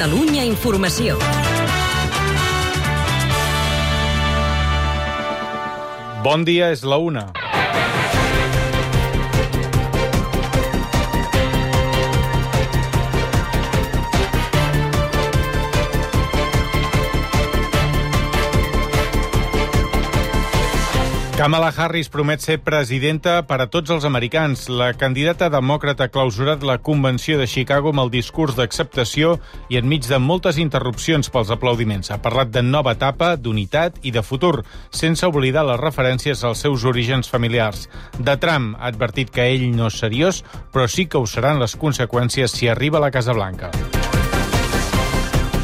Catalunya Informació. Bon dia, és la 1. Kamala Harris promet ser presidenta per a tots els americans. La candidata demòcrata ha clausurat la convenció de Chicago amb el discurs d'acceptació i enmig de moltes interrupcions pels aplaudiments. Ha parlat de nova etapa, d'unitat i de futur, sense oblidar les referències als seus orígens familiars. De Trump ha advertit que ell no és seriós, però sí que ho seran les conseqüències si arriba a la Casa Blanca.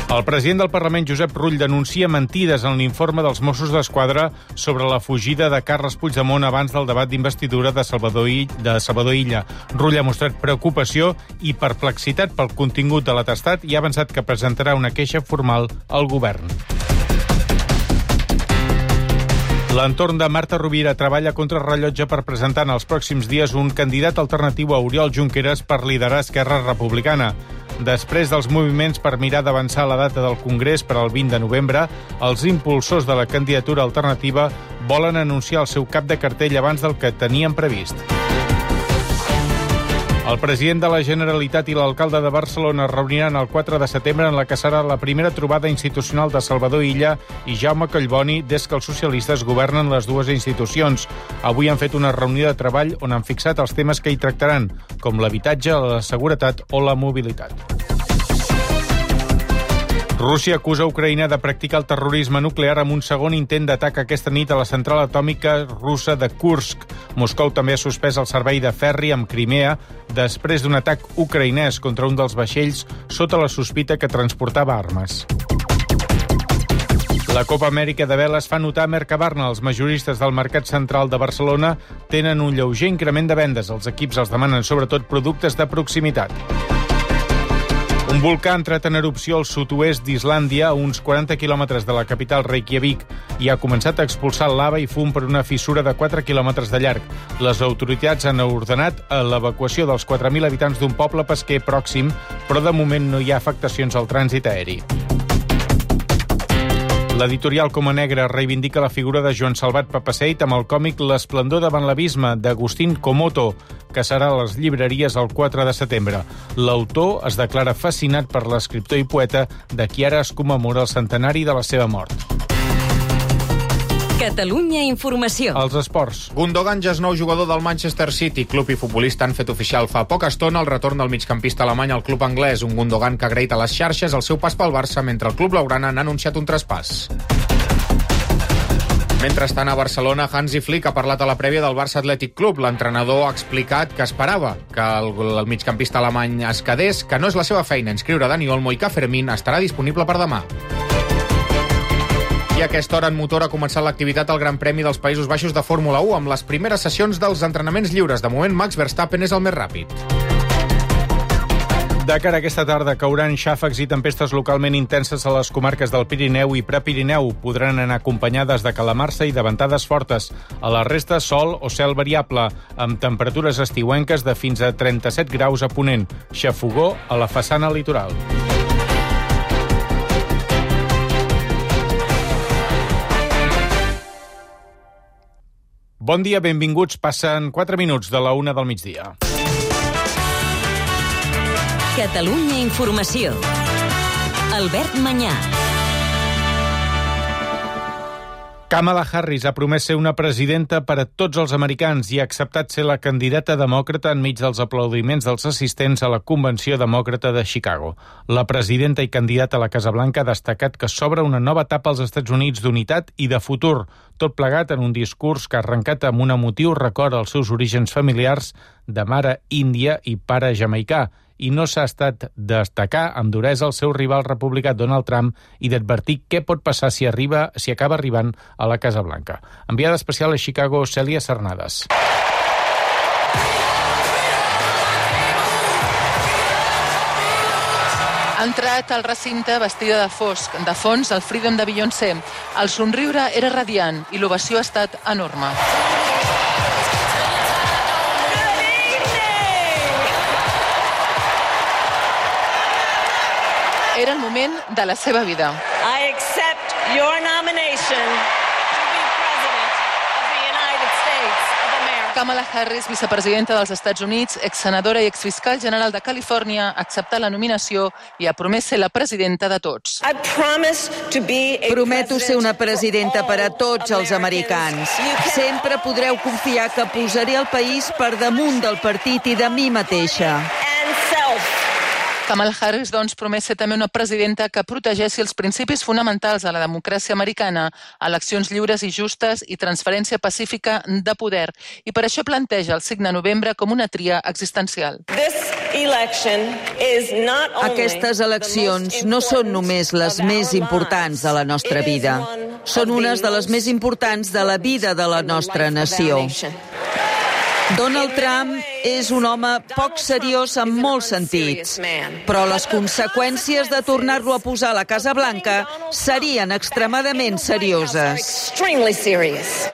El president del Parlament, Josep Rull, denuncia mentides en l'informe dels Mossos d'Esquadra sobre la fugida de Carles Puigdemont abans del debat d'investidura de Salvador Illa. Rull ha mostrat preocupació i perplexitat pel contingut de l'atestat i ha avançat que presentarà una queixa formal al govern. L'entorn de Marta Rovira treballa contra rellotge per presentar en els pròxims dies un candidat alternatiu a Oriol Junqueras per liderar Esquerra Republicana. Després dels moviments per mirar d'avançar la data del Congrés per al 20 de novembre, els impulsors de la candidatura alternativa volen anunciar el seu cap de cartell abans del que tenien previst. El president de la Generalitat i l'alcalde de Barcelona es reuniran el 4 de setembre en la que serà la primera trobada institucional de Salvador Illa i Jaume Collboni des que els socialistes governen les dues institucions. Avui han fet una reunió de treball on han fixat els temes que hi tractaran, com l'habitatge, la seguretat o la mobilitat. Rússia acusa Ucraïna de practicar el terrorisme nuclear amb un segon intent d'atac aquesta nit a la central atòmica russa de Kursk. Moscou també ha suspès el servei de ferri amb Crimea després d'un atac ucraïnès contra un dels vaixells sota la sospita que transportava armes. La Copa Amèrica de veles fa notar a Mercabarna. Els majoristes del Mercat Central de Barcelona tenen un lleuger increment de vendes. Els equips els demanen sobretot productes de proximitat. Un volcà ha entrat en erupció al sud-oest d'Islàndia, a uns 40 quilòmetres de la capital Reykjavik, i ha començat a expulsar lava i fum per una fissura de 4 quilòmetres de llarg. Les autoritats han ordenat l'evacuació dels 4.000 habitants d'un poble pesquer pròxim, però de moment no hi ha afectacions al trànsit aeri. L'editorial Coma Negra reivindica la figura de Joan Salvat Papaseit amb el còmic L'esplendor davant l'abisme, d'Agustín Comoto, que serà a les llibreries el 4 de setembre. L'autor es declara fascinat per l'escriptor i poeta de qui ara es commemora el centenari de la seva mort. Catalunya Informació. Els esports. Gundogan ja és nou jugador del Manchester City. Club i futbolista han fet oficial fa poca estona el retorn del migcampista alemany al club anglès. Un Gundogan que ha agraït a les xarxes el seu pas pel Barça, mentre el club blaugrana n'ha anunciat un traspàs. Mentrestant, a Barcelona, Hansi Flick ha parlat a la prèvia del Barça Athletic Club. L'entrenador ha explicat que esperava que el migcampista alemany es quedés, que no és la seva feina inscriure Dani Olmo i que Fermín estarà disponible per demà. I a aquesta hora en motor ha començat l'activitat al Gran Premi dels Països Baixos de Fórmula 1 amb les primeres sessions dels entrenaments lliures. De moment, Max Verstappen és el més ràpid. De cara a aquesta tarda cauran xàfecs i tempestes localment intenses a les comarques del Pirineu i Prepirineu. Podran anar acompanyades de calamarsa i de ventades fortes. A la resta, sol o cel variable, amb temperatures estiuenques de fins a 37 graus a ponent. Xafogó a la façana litoral. Bon dia, benvinguts. Passen 4 minuts de la 1 del migdia. Catalunya Informació. Albert Manyà. Kamala Harris ha promès ser una presidenta per a tots els americans i ha acceptat ser la candidata demòcrata enmig dels aplaudiments dels assistents a la Convenció Demòcrata de Chicago. La presidenta i candidata a la Casa Blanca ha destacat que s'obre una nova etapa als Estats Units d'unitat i de futur, tot plegat en un discurs que ha arrencat amb un emotiu record als seus orígens familiars de mare índia i pare jamaicà, i no s'ha estat destacar amb duresa el seu rival republicà Donald Trump i d'advertir què pot passar si acaba arribant a la Casa Blanca. Enviada especial a Chicago, Cèlia Cernades. Ha entrat al recinte vestida de fosc. De fons, el Freedom de Beyoncé. El somriure era radiant i l'ovació ha estat enorme. Era el moment de la seva vida. I accept your nomination to be President of the United States of America. Kamala Harris, vicepresidenta dels Estats Units, exsenadora i exfiscal general de Califòrnia, ha acceptat la nominació i ha promès ser la presidenta de tots. Prometo ser una presidenta per a tots els americans. Sempre podreu confiar que posaré el país per damunt del partit i de mi mateixa. Kamala Harris, doncs, promet ser també una presidenta que protegeixi els principis fonamentals de la democràcia americana, eleccions lliures i justes i transferència pacífica de poder. I per això planteja el 5 de novembre com una tria existencial. Aquestes eleccions no són només les més importants de la nostra vida. Són unes de les més importants de la vida de la nostra nació. Donald Trump és un home poc seriós en molts sentits, però les conseqüències de tornar-lo a posar a la Casa Blanca serien extremadament serioses.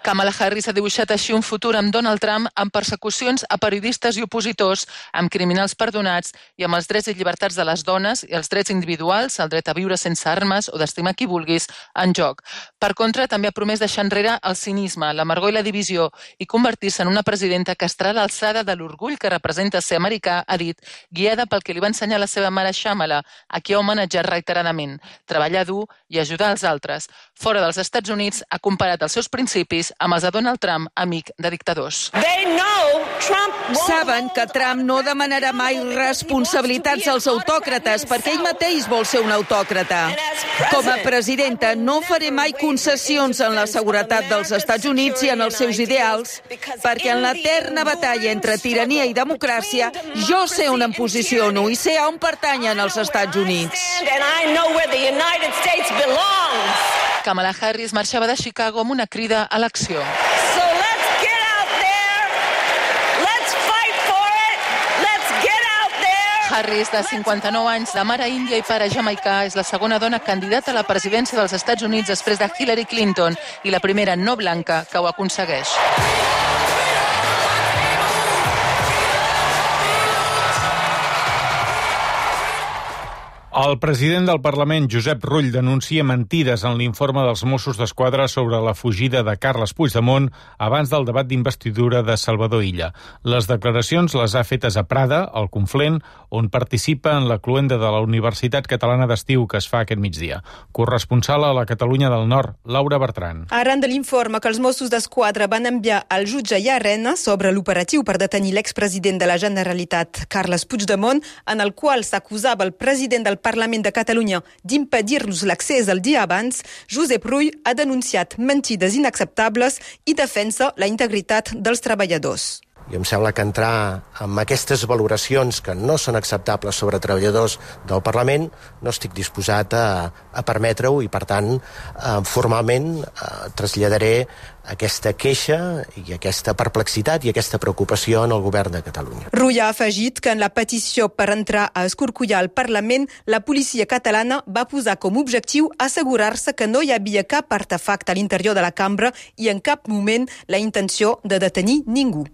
Kamala Harris ha dibuixat així un futur amb Donald Trump amb persecucions a periodistes i opositors, amb criminals perdonats i amb els drets i llibertats de les dones i els drets individuals, el dret a viure sense armes o d'estimar qui vulguis, en joc. Per contra, també ha promès deixar enrere el cinisme, l'amargor i la divisió i convertir-se en una presidenta que estarà a l'alçada de l'orgull que representa ser americà, ha dit, guiada pel que li va ensenyar la seva mare Shamala, a qui ha homenatjat reiteradament, treballar dur i ajudar els altres. Fora dels Estats Units, ha comparat els seus principis amb els de Donald Trump, amic de dictadors. Saben que Trump no demanarà mai responsabilitats als autòcrates perquè ell mateix vol ser un autòcrata. Com a presidenta no faré mai concessions en la seguretat dels Estats Units i en els seus ideals, perquè en l'eterna batalla entre tirania i democràcia jo sé on em posiciono i sé on pertanyen els Estats Units. Kamala Harris marxava de Chicago amb una crida a l'acció. Harris, de 59 anys, de mare índia i pare jamaicà, és la segona dona candidata a la presidència dels Estats Units després de Hillary Clinton i la primera no blanca que ho aconsegueix. El president del Parlament, Josep Rull, denuncia mentides en l'informe dels Mossos d'Esquadra sobre la fugida de Carles Puigdemont abans del debat d'investidura de Salvador Illa. Les declaracions les ha fetes a Prada, al Conflent, on participa en la cloenda de la Universitat Catalana d'Estiu que es fa aquest migdia. Corresponsal a la Catalunya del Nord, Laura Bertran. Arran de l'informe que els Mossos d'Esquadra van enviar al jutge Llarena sobre l'operatiu per detenir l'expresident de la Generalitat, Carles Puigdemont, en el qual s'acusava el president del Parlament de Catalunya d'impedir-los l'accés el dia abans, Josep Rull ha denunciat mentides inacceptables i defensa la integritat dels treballadors. I em sembla que entrar en aquestes valoracions que no són acceptables sobre treballadors del Parlament no estic disposat a permetre-ho i, per tant, formalment traslladaré aquesta queixa i aquesta perplexitat i aquesta preocupació en el govern de Catalunya. Rull ha afegit que en la petició per entrar a escorcollar el Parlament, la policia catalana va posar com a objectiu assegurar-se que no hi havia cap artefacte a l'interior de la cambra i en cap moment la intenció de detenir ningú.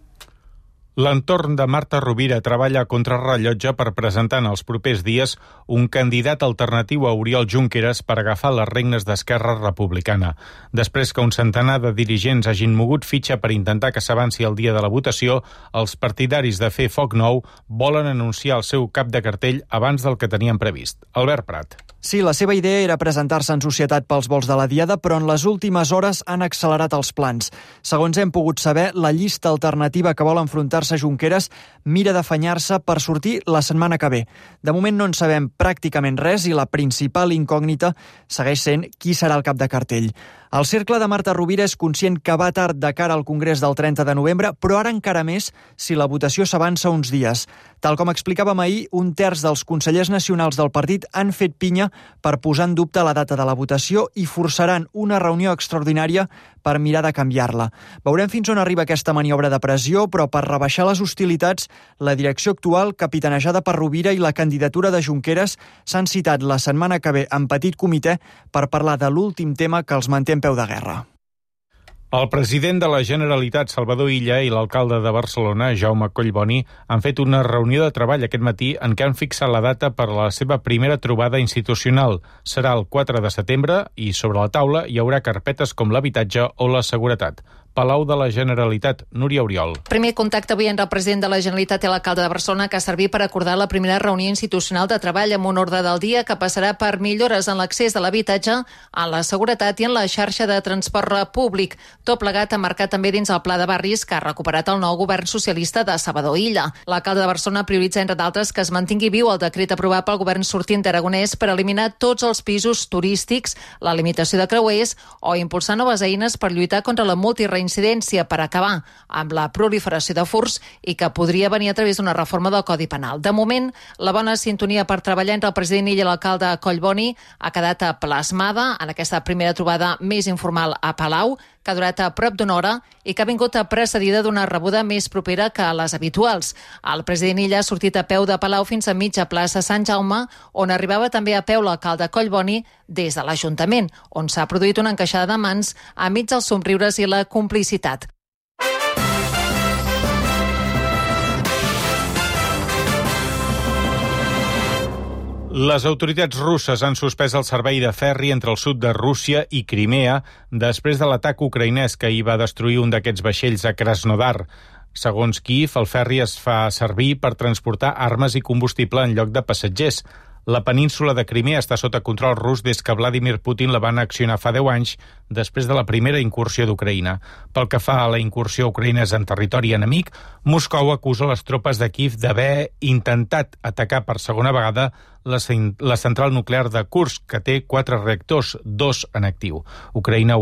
L'entorn de Marta Rovira treballa a contrarrellotge per presentar en els propers dies un candidat alternatiu a Oriol Junqueras per agafar les regnes d'Esquerra Republicana. Després que un centenar de dirigents hagin mogut fitxa per intentar que s'avanci el dia de la votació, els partidaris de Fer Foc Nou volen anunciar el seu cap de cartell abans del que tenien previst. Albert Prat. Sí, la seva idea era presentar-se en societat pels vols de la Diada, però en les últimes hores han accelerat els plans. Segons hem pogut saber, la llista alternativa que vol enfrontar-se a Junqueras mira d'afanyar-se per sortir la setmana que ve. De moment no en sabem pràcticament res i la principal incògnita segueix sent qui serà el cap de cartell. El cercle de Marta Rovira és conscient que va tard de cara al Congrés del 30 de novembre, però ara encara més si la votació s'avança uns dies. Tal com explicàvem ahir, un terç dels consellers nacionals del partit han fet pinya per posar en dubte la data de la votació i forçaran una reunió extraordinària per mirar de canviar-la. Veurem fins on arriba aquesta maniobra de pressió, però per rebaixar les hostilitats, la direcció actual, capitanejada per Rovira i la candidatura de Junqueras, s'han citat la setmana que ve en petit comitè per parlar de l'últim tema que els manté en peu de guerra. El president de la Generalitat, Salvador Illa, i l'alcalde de Barcelona, Jaume Collboni, han fet una reunió de treball aquest matí en què han fixat la data per a la seva primera trobada institucional. Serà el 4 de setembre i sobre la taula hi haurà carpetes com l'habitatge o la seguretat. Palau de la Generalitat, Núria Oriol. Primer contacte avui entre el president de la Generalitat i l'alcalde de Barcelona, que ha servit per acordar la primera reunió institucional de treball amb un ordre del dia que passarà per millores en l'accés a l'habitatge, en la seguretat i en la xarxa de transport públic. Tot plegat emmarcat també dins el pla de barris que ha recuperat el nou govern socialista de Salvador Illa. L'alcalde de Barcelona prioritza, entre d'altres, que es mantingui viu el decret aprovat pel govern sortint d'Aragonès per eliminar tots els pisos turístics, la limitació de creuers o impulsar noves eines per lluitar contra la multireincidència per acabar amb la proliferació de furts i que podria venir a través d'una reforma del Codi Penal. De moment, la bona sintonia per treballar entre el president Illa i l'alcalde Collboni ha quedat plasmada en aquesta primera trobada més informal a Palau, que ha durat a prop d'una hora i que ha vingut precedida d'una rebuda més propera que les habituals. El president Illa ha sortit a peu de Palau fins a mitja plaça Sant Jaume, on arribava també a peu l'alcalde Collboni des de l'Ajuntament, on s'ha produït una encaixada de mans enmig dels somriures i la complicitat. Les autoritats russes han suspès el servei de ferri entre el sud de Rússia i Crimea després de l'atac ucraïnès que hi va destruir un d'aquests vaixells a Krasnodar. Segons Kíev, el ferri es fa servir per transportar armes i combustible en lloc de passatgers. La península de Crimea està sota control rus des que Vladimir Putin la va annexionar fa 10 anys, després de la primera incursió d'Ucraïna. Pel que fa a la incursió ucraïnesa en territori enemic, Moscou acusa les tropes de Kíev d'haver intentat atacar per segona vegada la central nuclear de Kursk, que té 4 reactors, 2 en actiu. Ucraïna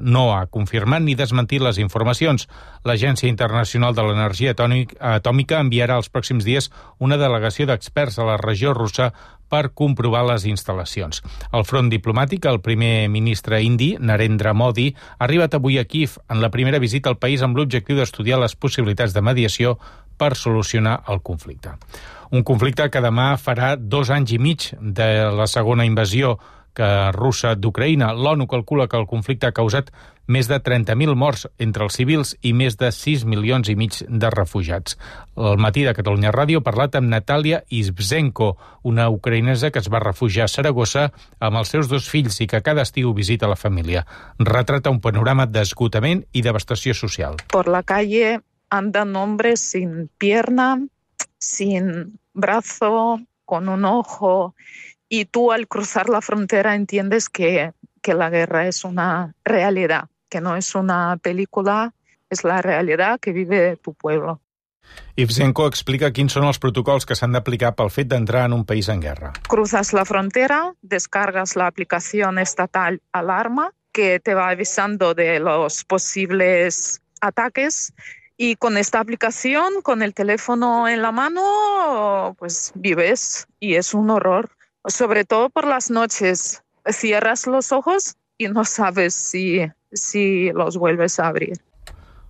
no ha confirmat ni desmentit les informacions. L'Agència Internacional de l'Energia Atòmica enviarà els pròxims dies una delegació d'experts a la regió russa per comprovar les instal·lacions. Al front diplomàtic, el primer ministre indi, Narendra Modi, ha arribat avui a Kíev en la primera visita al país amb l'objectiu d'estudiar les possibilitats de mediació per solucionar el conflicte. Un conflicte que demà farà 2 anys i mig de la segona invasió russa d'Ucraïna. L'ONU calcula que el conflicte ha causat més de 30.000 morts entre els civils i més de 6 milions i mig de refugiats. Al matí de Catalunya Ràdio ha parlat amb Natalia Ivzenko, una ucraïnesa que es va refugiar a Saragossa amb els seus 2 fills i que cada estiu visita la família. Retrata un panorama d'esgotament i devastació social. Por la calle andan hombres sin pierna, sin brazo, con un ojo, y tú al cruzar la frontera entiendes que la guerra es una realidad, que no es una película, es la realidad que vive tu pueblo. Ivzenko explica quins són els protocols que s'han d'aplicar pel fet d'entrar en un país en guerra. Cruzas la frontera, descargas la aplicación estatal Alarma, que te va avisando de los posibles ataques. Y con esta aplicación, con el teléfono en la mano, pues vives y es un horror. Sobre todo por las noches. Cierras los ojos y no sabes si los vuelves a abrir.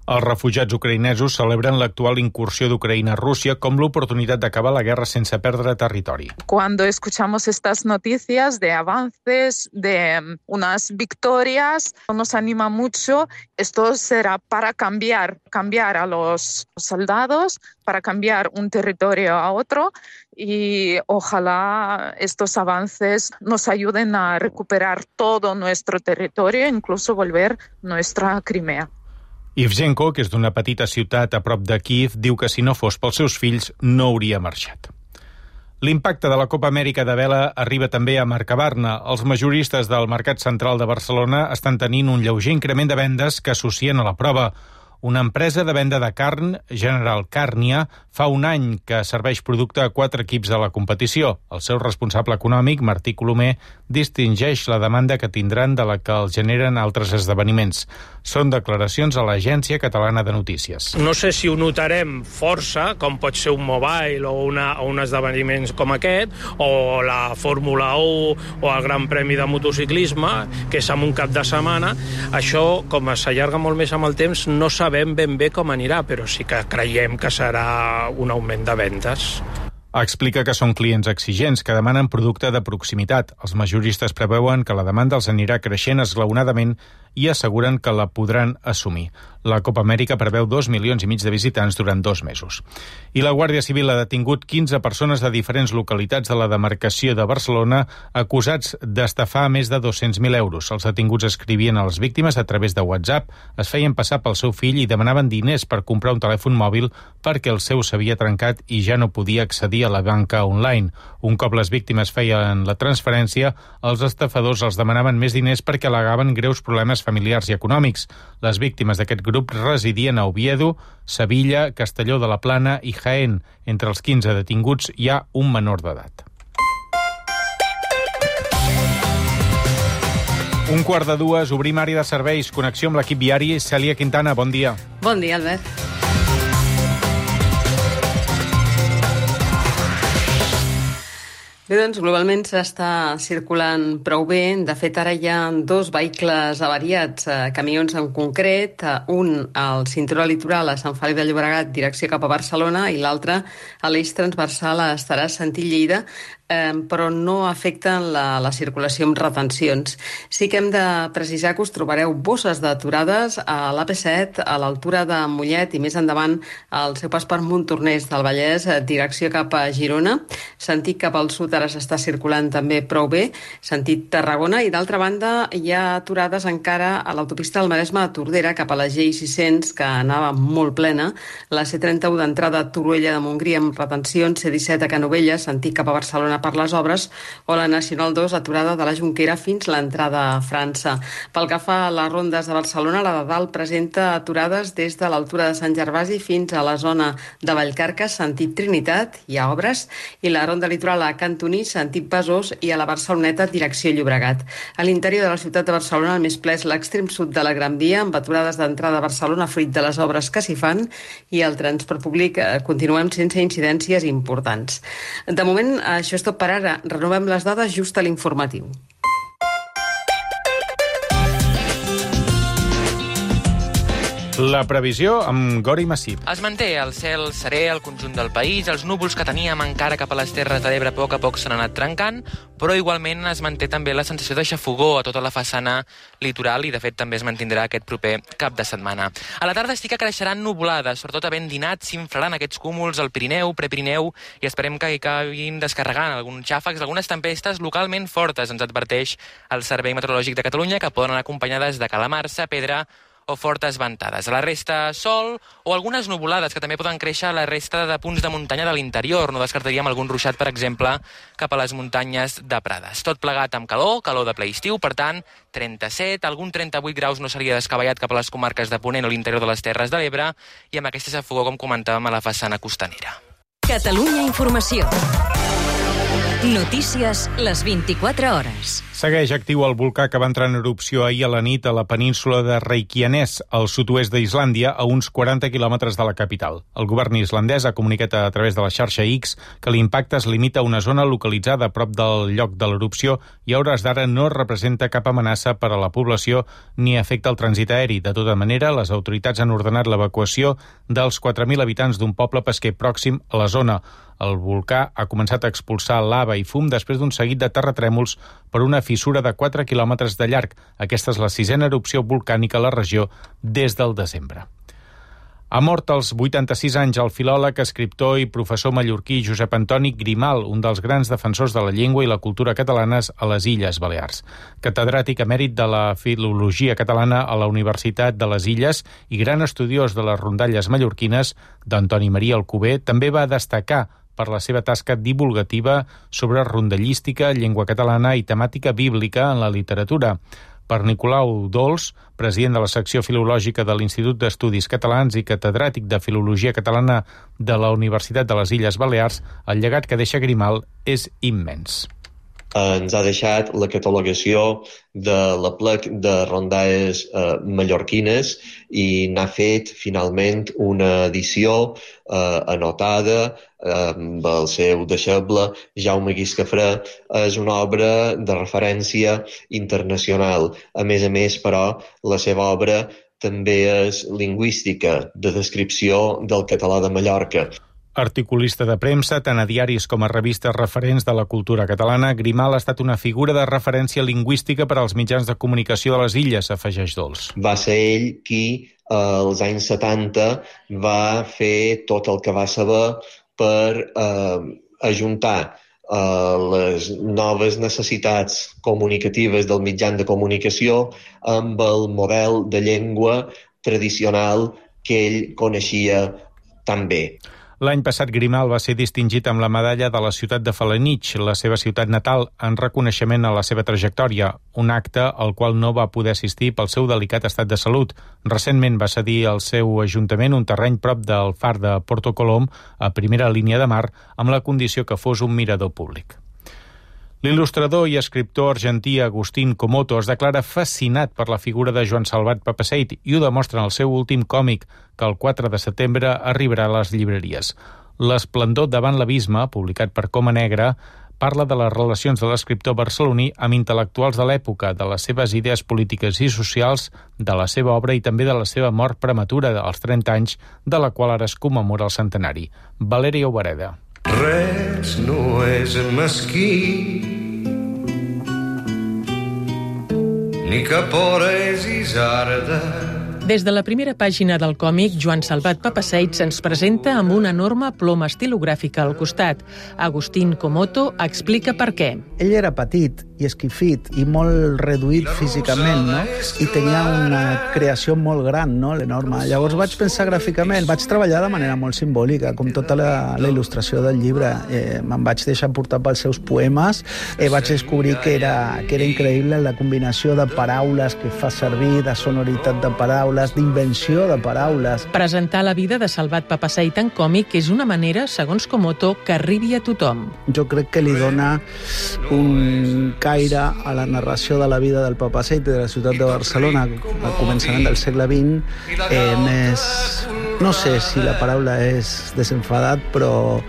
Els refugiats ucraïnesos celebren l'actual incursió d'Ucraïna a Rússia com l'oportunitat d'acabar la guerra sense perdre territori. Cuando escuchamos estas noticias de avances, de unas victorias, nos anima mucho. Esto será para cambiar a los soldados, para cambiar un territorio a otro y ojalá estos avances nos ayuden a recuperar todo nuestro territorio, incluso volver nuestra Crimea. Ivzenko, que és d'una petita ciutat a prop de Kíev, diu que si no fos pels seus fills no hauria marxat. L'impacte de la Copa Amèrica de vela arriba també a Mercabarna. Els majoristes del Mercat Central de Barcelona estan tenint un lleuger increment de vendes que associen a la prova. Una empresa de venda de carn, General Carnia, fa un any que serveix producte a 4 equips de la competició. El seu responsable econòmic, Martí Colomer, distingeix la demanda que tindran de la que els generen altres esdeveniments. Són declaracions a l'Agència Catalana de Notícies. No sé si ho notarem força, com pot ser un mobile o un esdeveniment com aquest, o la Fórmula 1 o el Gran Premi de motociclisme, que és en un cap de setmana. Això, com s'allarga molt més amb el temps, no sabem ben bé com anirà, però sí que creiem que serà un augment de vendes. Explica que són clients exigents que demanen producte de proximitat. Els majoristes preveuen que la demanda els anirà creixent esglaonadament i asseguren que la podran assumir. La Copa Amèrica preveu 2,5 milions de visitants durant 2 mesos. I la Guàrdia Civil ha detingut 15 persones de diferents localitats de la demarcació de Barcelona acusats d'estafar més de 200.000 euros. Els detinguts escrivien a les víctimes a través de WhatsApp, es feien passar pel seu fill i demanaven diners per comprar un telèfon mòbil perquè el seu s'havia trencat i ja no podia accedir a la banca online. Un cop les víctimes feien la transferència, els estafadors els demanaven més diners perquè al·legaven greus problemes familiars i econòmics. Les víctimes d'aquest grup residien a Oviedo, Sevilla, Castelló de la Plana i Jaén. Entre els 15 detinguts hi ha un menor d'edat. 1:45, obrim àrea de serveis, connexió amb l'equip viari. Cèlia Quintana, bon dia. Bon dia, Albert. Bé, doncs, globalment s'està circulant prou bé. De fet, ara hi ha 2 vehicles avariats, camions en concret, un al cinturó litoral a Sant Feliu de Llobregat, direcció cap a Barcelona, i l'altre a l'eix transversal a Estaràs-Sentí-Lleida, però no afecten la circulació amb retencions. Sí que hem de precisar que us trobareu bosses d'aturades a l'AP7, a l'altura de Mollet i més endavant al seu pas per Montornès del Vallès, direcció cap a Girona. Sentit cap al sud ara s'està circulant també prou bé, sentit Tarragona, i d'altra banda hi ha aturades encara a l'autopista del Maresme a Tordera cap a la G600, que anava molt plena, la C31 d'entrada a Torroella de Montgrí amb retencions, C17 a Canovelles, sentit cap a Barcelona per les obres, o la Nacional 2 aturada de la Jonquera fins l'entrada a França. Pel que fa a les rondes de Barcelona, la de dalt presenta aturades des de l'altura de Sant Gervasi fins a la zona de Vallcarques, sentit Trinitat, hi ha obres, i la ronda litoral a Cantoní, sentit Besòs, i a la Barceloneta, direcció Llobregat. A l'interior de la ciutat de Barcelona, el més ple és l'extrem sud de la Gran Via, amb aturades d'entrada a Barcelona fruit de les obres que s'hi fan, i el transport públic continuem sense incidències importants. De moment, això és tot per ara. Renovem les dades just a l'informatiu. La previsió amb Gori Massip. Es manté el cel serè al conjunt del país, els núvols que teníem encara cap a les Terres de l'Ebre a poc s'han anat trencant, però igualment es manté també la sensació de xafogor a tota la façana litoral i de fet també es mantindrà aquest proper cap de setmana. A la tarda sí que creixeran nuvolades, sobretot havent dinat s'inflaran aquests cúmuls al Pirineu, Prepirineu, i esperem que hi acabin descarregant alguns xàfecs, algunes tempestes localment fortes, ens adverteix el Servei Meteorològic de Catalunya, que poden anar acompanyades de calamarsa, pedra o fortes ventades. A la resta, sol o algunes nuvolades que també poden créixer a la resta de punts de muntanya de l'interior. No descartaríem algun ruixat, per exemple, cap a les muntanyes de Prades. Tot plegat amb calor de ple estiu, per tant, 37, algun 38 graus no seria descabellat cap a les comarques de Ponent o l'interior de les Terres de l'Ebre, i amb aquesta xafogor, com comentàvem, a la façana costanera. Catalunya Informació. Notícies les 24 hores. Segueix actiu el volcà que va entrar en erupció ahir a la nit a la península de Reykjanes, al sud-oest d'Islàndia, a uns 40 quilòmetres de la capital. El govern islandès ha comunicat a través de la xarxa X que l'impacte es limita a una zona localitzada a prop del lloc de l'erupció i a hores d'ara no representa cap amenaça per a la població ni afecta el trànsit aeri. De tota manera, les autoritats han ordenat l'evacuació dels 4.000 habitants d'un poble pesquer pròxim a la zona. El volcà ha començat a expulsar lava i fum després d'un seguit de terratrèmols per una fissura de 4 quilòmetres de llarg. Aquesta és la 6a erupció volcànica a la regió des del desembre. Ha mort als 86 anys el filòleg, escriptor i professor mallorquí Josep Antoni Grimal, un dels grans defensors de la llengua i la cultura catalanes a les Illes Balears. Catedràtic emèrit de la filologia catalana a la Universitat de les Illes i gran estudiós de les rondalles mallorquines, d'Antoni Maria Alcover, també va destacar per la seva tasca divulgativa sobre rondallística, llengua catalana i temàtica bíblica en la literatura. Per Nicolau Dols, president de la secció filològica de l'Institut d'Estudis Catalans i catedràtic de Filologia Catalana de la Universitat de les Illes Balears, el llegat que deixa Grimal és immens. Ens ha deixat la catalogació de l'aplec de rondalles mallorquines i n'ha fet finalment una edició anotada amb el seu deixeble Jaume Guiscafré. És una obra de referència internacional. A més, però, la seva obra també és lingüística, de descripció del català de Mallorca. Articulista de premsa, tant a diaris com a revistes referents de la cultura catalana, Grimal ha estat una figura de referència lingüística per als mitjans de comunicació de les illes, afegeix Dols. Va ser ell qui, als anys 70, va fer tot el que va saber per ajuntar les noves necessitats comunicatives del mitjan de comunicació amb el model de llengua tradicional que ell coneixia tan bé. L'any passat Grimal va ser distingit amb la medalla de la ciutat de Felanitx, la seva ciutat natal, en reconeixement a la seva trajectòria, un acte al qual no va poder assistir pel seu delicat estat de salut. Recentment va cedir al seu ajuntament un terreny prop del far de Porto Colom, a primera línia de mar, amb la condició que fos un mirador públic. L'il·lustrador i escriptor argentí Agustín Comoto es declara fascinat per la figura de Joan Salvat Papasseit i ho demostra en el seu últim còmic, que el 4 de setembre arribarà a les llibreries. L'esplendor davant l'abisme, publicat per Coma Negra, parla de les relacions de l'escriptor barceloní amb intel·lectuals de l'època, de les seves idees polítiques i socials, de la seva obra i també de la seva mort prematura als 30 anys, de la qual ara es commemora el centenari. Valeria Obereda. Res no és mesquí, ni cap hora és isarda. Des de la primera pàgina del còmic, Joan Salvat Papasseit se'ns presenta amb una enorme ploma estilogràfica al costat. Agustín Comoto explica per què. Ell era petit i esquifit i molt reduït físicament, no? I tenia una creació molt gran, no? Enorme. Llavors vaig pensar gràficament, vaig treballar de manera molt simbòlica, com tota la il·lustració del llibre. Me'n vaig deixar portar pels seus poemes, vaig descobrir que era increïble la combinació de paraules que fa servir, de sonoritat de paraules, d'invenció de paraules. Presentar la vida de Salvat Papasseit en còmic és una manera, segons Comoto, que arribi a tothom. Jo crec que li dona un caire a la narració de la vida del Papasseit i de la ciutat de Barcelona al començament del segle XX més, no sé si la paraula és desenfadat, però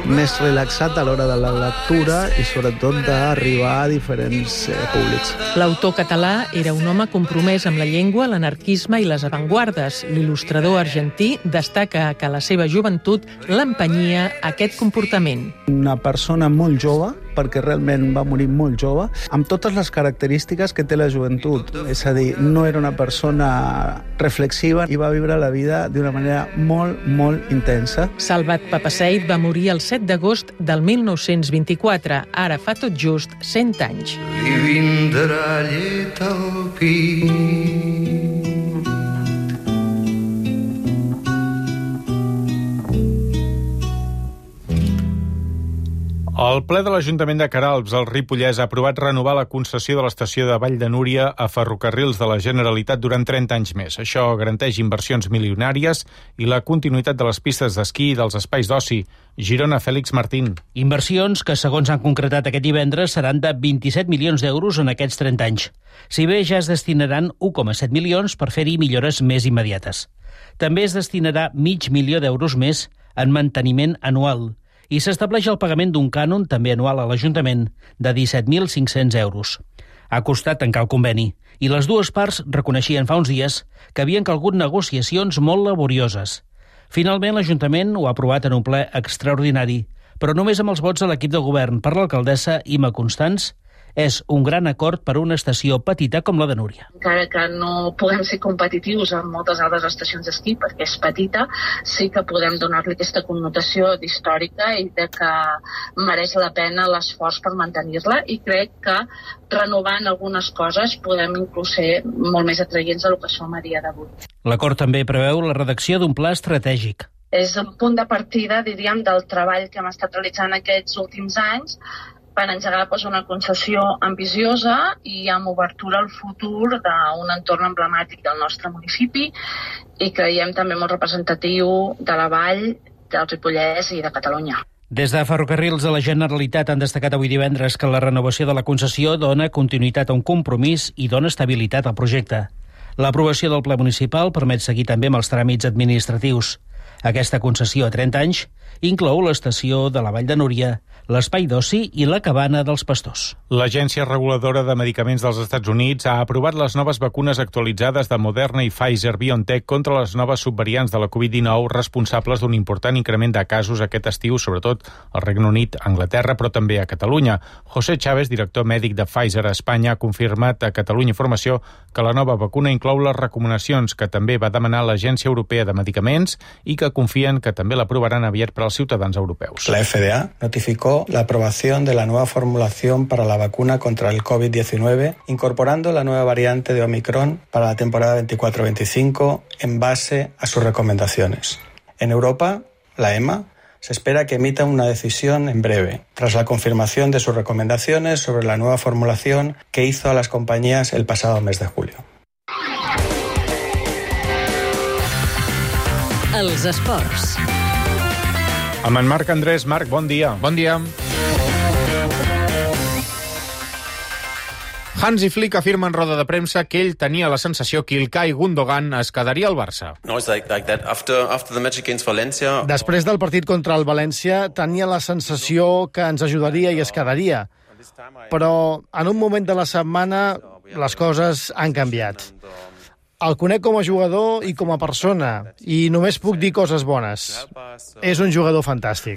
més relaxat a l'hora de la lectura i sobretot d'arribar a diferents públics. L'autor català era un home compromès amb la llengua, l'anarquisme i les avantguardes. L'il·lustrador argentí destaca que la seva joventut l'empenyia a aquest comportament. Una persona molt jove, perquè realment va morir molt jove, amb totes les característiques que té la joventut. És a dir, no era una persona reflexiva i va viure la vida d'una manera molt, molt intensa. Salvat Papasseit va morir el 7 d'agost del 1924, ara fa tot just 100 anys. Li vindrà llet al pit. El ple de l'Ajuntament de Queralbs, al Ripollès, ha aprovat renovar la concessió de l'estació de Vall de Núria a Ferrocarrils de la Generalitat durant 30 anys més. Això garanteix inversions milionàries i la continuïtat de les pistes d'esquí i dels espais d'oci. Girona, Fèlix Martín. Inversions que, segons han concretat aquest divendres, seran de 27 milions d'euros en aquests 30 anys. Si bé ja es destinaran 1,7 milions per fer-hi millores més immediates. També es destinarà $500.000 d'euros més en manteniment anual i s'estableix el pagament d'un cànon, també anual a l'Ajuntament, de 17.500 euros. Ha costat tancar el conveni i les dues parts reconeixien fa uns dies que havien calgut negociacions molt laborioses. Finalment, l'Ajuntament ho ha aprovat en un ple extraordinari, però només amb els vots de l'equip de govern per l'alcaldessa Ima Constans. És un gran acord per a una estació petita com la de Núria. Encara que no puguem ser competitius amb moltes altres estacions d'esquí perquè és petita, sí que podem donar-li aquesta connotació d'històrica i de que mereix la pena l'esforç per mantenir-la, i crec que renovant algunes coses podem inclús ser molt més atraients del que som a dia d'avui. L'acord també preveu la redacció d'un pla estratègic. És un punt de partida, diríem, del treball que hem estat realitzant aquests últims anys per engegar una concessió ambiciosa i amb obertura al futur d'un entorn emblemàtic del nostre municipi i creiem també molt representatiu de la Vall, del Ripollès i de Catalunya. Des de Ferrocarrils de la Generalitat han destacat avui divendres que la renovació de la concessió dona continuïtat a un compromís i dona estabilitat al projecte. L'aprovació del ple municipal permet seguir també amb els tràmits administratius. Aquesta concessió a 30 anys inclou l'estació de la Vall de Núria, l'espai d'oci i la cabana dels pastors. L'Agència Reguladora de Medicaments dels Estats Units ha aprovat les noves vacunes actualitzades de Moderna i Pfizer-BioNTech contra les noves subvariants de la Covid-19 responsables d'un important increment de casos aquest estiu, sobretot al Regne Unit, Anglaterra, però també a Catalunya. José Chávez, director mèdic de Pfizer a Espanya, ha confirmat a Catalunya Informació que la nova vacuna inclou les recomanacions que també va demanar l'Agència Europea de Medicaments i que confien que també l'aprovaran aviat per als ciutadans europeus. La FDA notificó la aprobación de la nueva formulación para la vacuna contra el COVID-19, incorporando la nueva variante de Omicron para la temporada 24-25 en base a sus recomendaciones. En Europa, la EMA se espera que emita una decisión en breve, tras la confirmación de sus recomendaciones sobre la nueva formulación que hizo a las compañías el pasado mes de julio. Els esports. Amb en Marc Andrés. Marc, bon dia. Bon dia. Hansi Flick afirma en roda de premsa que ell tenia la sensació que Ilkay Gundogan es quedaria al Barça. Després del partit contra el València tenia la sensació que ens ajudaria i es quedaria. Però en un moment de la setmana les coses han canviat. El conec com a jugador i com a persona, i només puc dir coses bones. És un jugador fantàstic.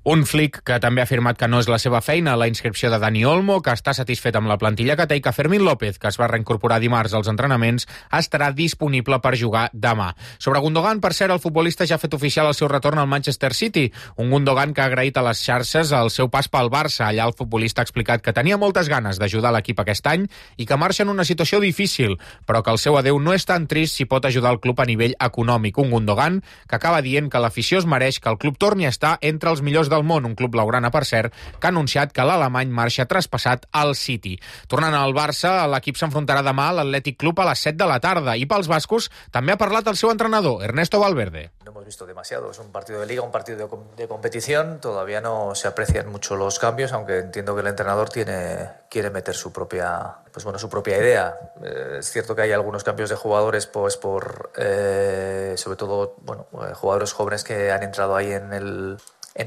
Un Flick que també ha afirmat que no és la seva feina la inscripció de Dani Olmo, que està satisfet amb la plantilla que té i que Fermín López, que es va reincorporar dimarts als entrenaments, estarà disponible per jugar demà. Sobre Gundogan, per cert, el futbolista ja ha fet oficial el seu retorn al Manchester City, un Gundogan que ha agraït a les xarxes el seu pas pel Barça. Allà el futbolista ha explicat que tenia moltes ganes d'ajudar l'equip aquest any i que marxa en una situació difícil, però que el seu adeu no és tan trist si pot ajudar el club a nivell econòmic. Un Gundogan que acaba dient que l'afició es mereix que el club torni a estar entre els millors del món, un club blaugrana, per cert, que ha anunciat que l'alemany marxa traspassat al City. Tornant al Barça, l'equip s'enfrontarà demà a l'Athletic Club a les 7 de la tarda i pels bascos també ha parlat el seu entrenador, Ernesto Valverde. No hemos visto demasiado, es un partido de liga, un partido de competición, todavía no se aprecian mucho los cambios, aunque entiendo que el entrenador quiere meter su propia idea. Es cierto que hay algunos cambios de jugadores pues por sobre todo jugadores jóvenes que han entrado ahí en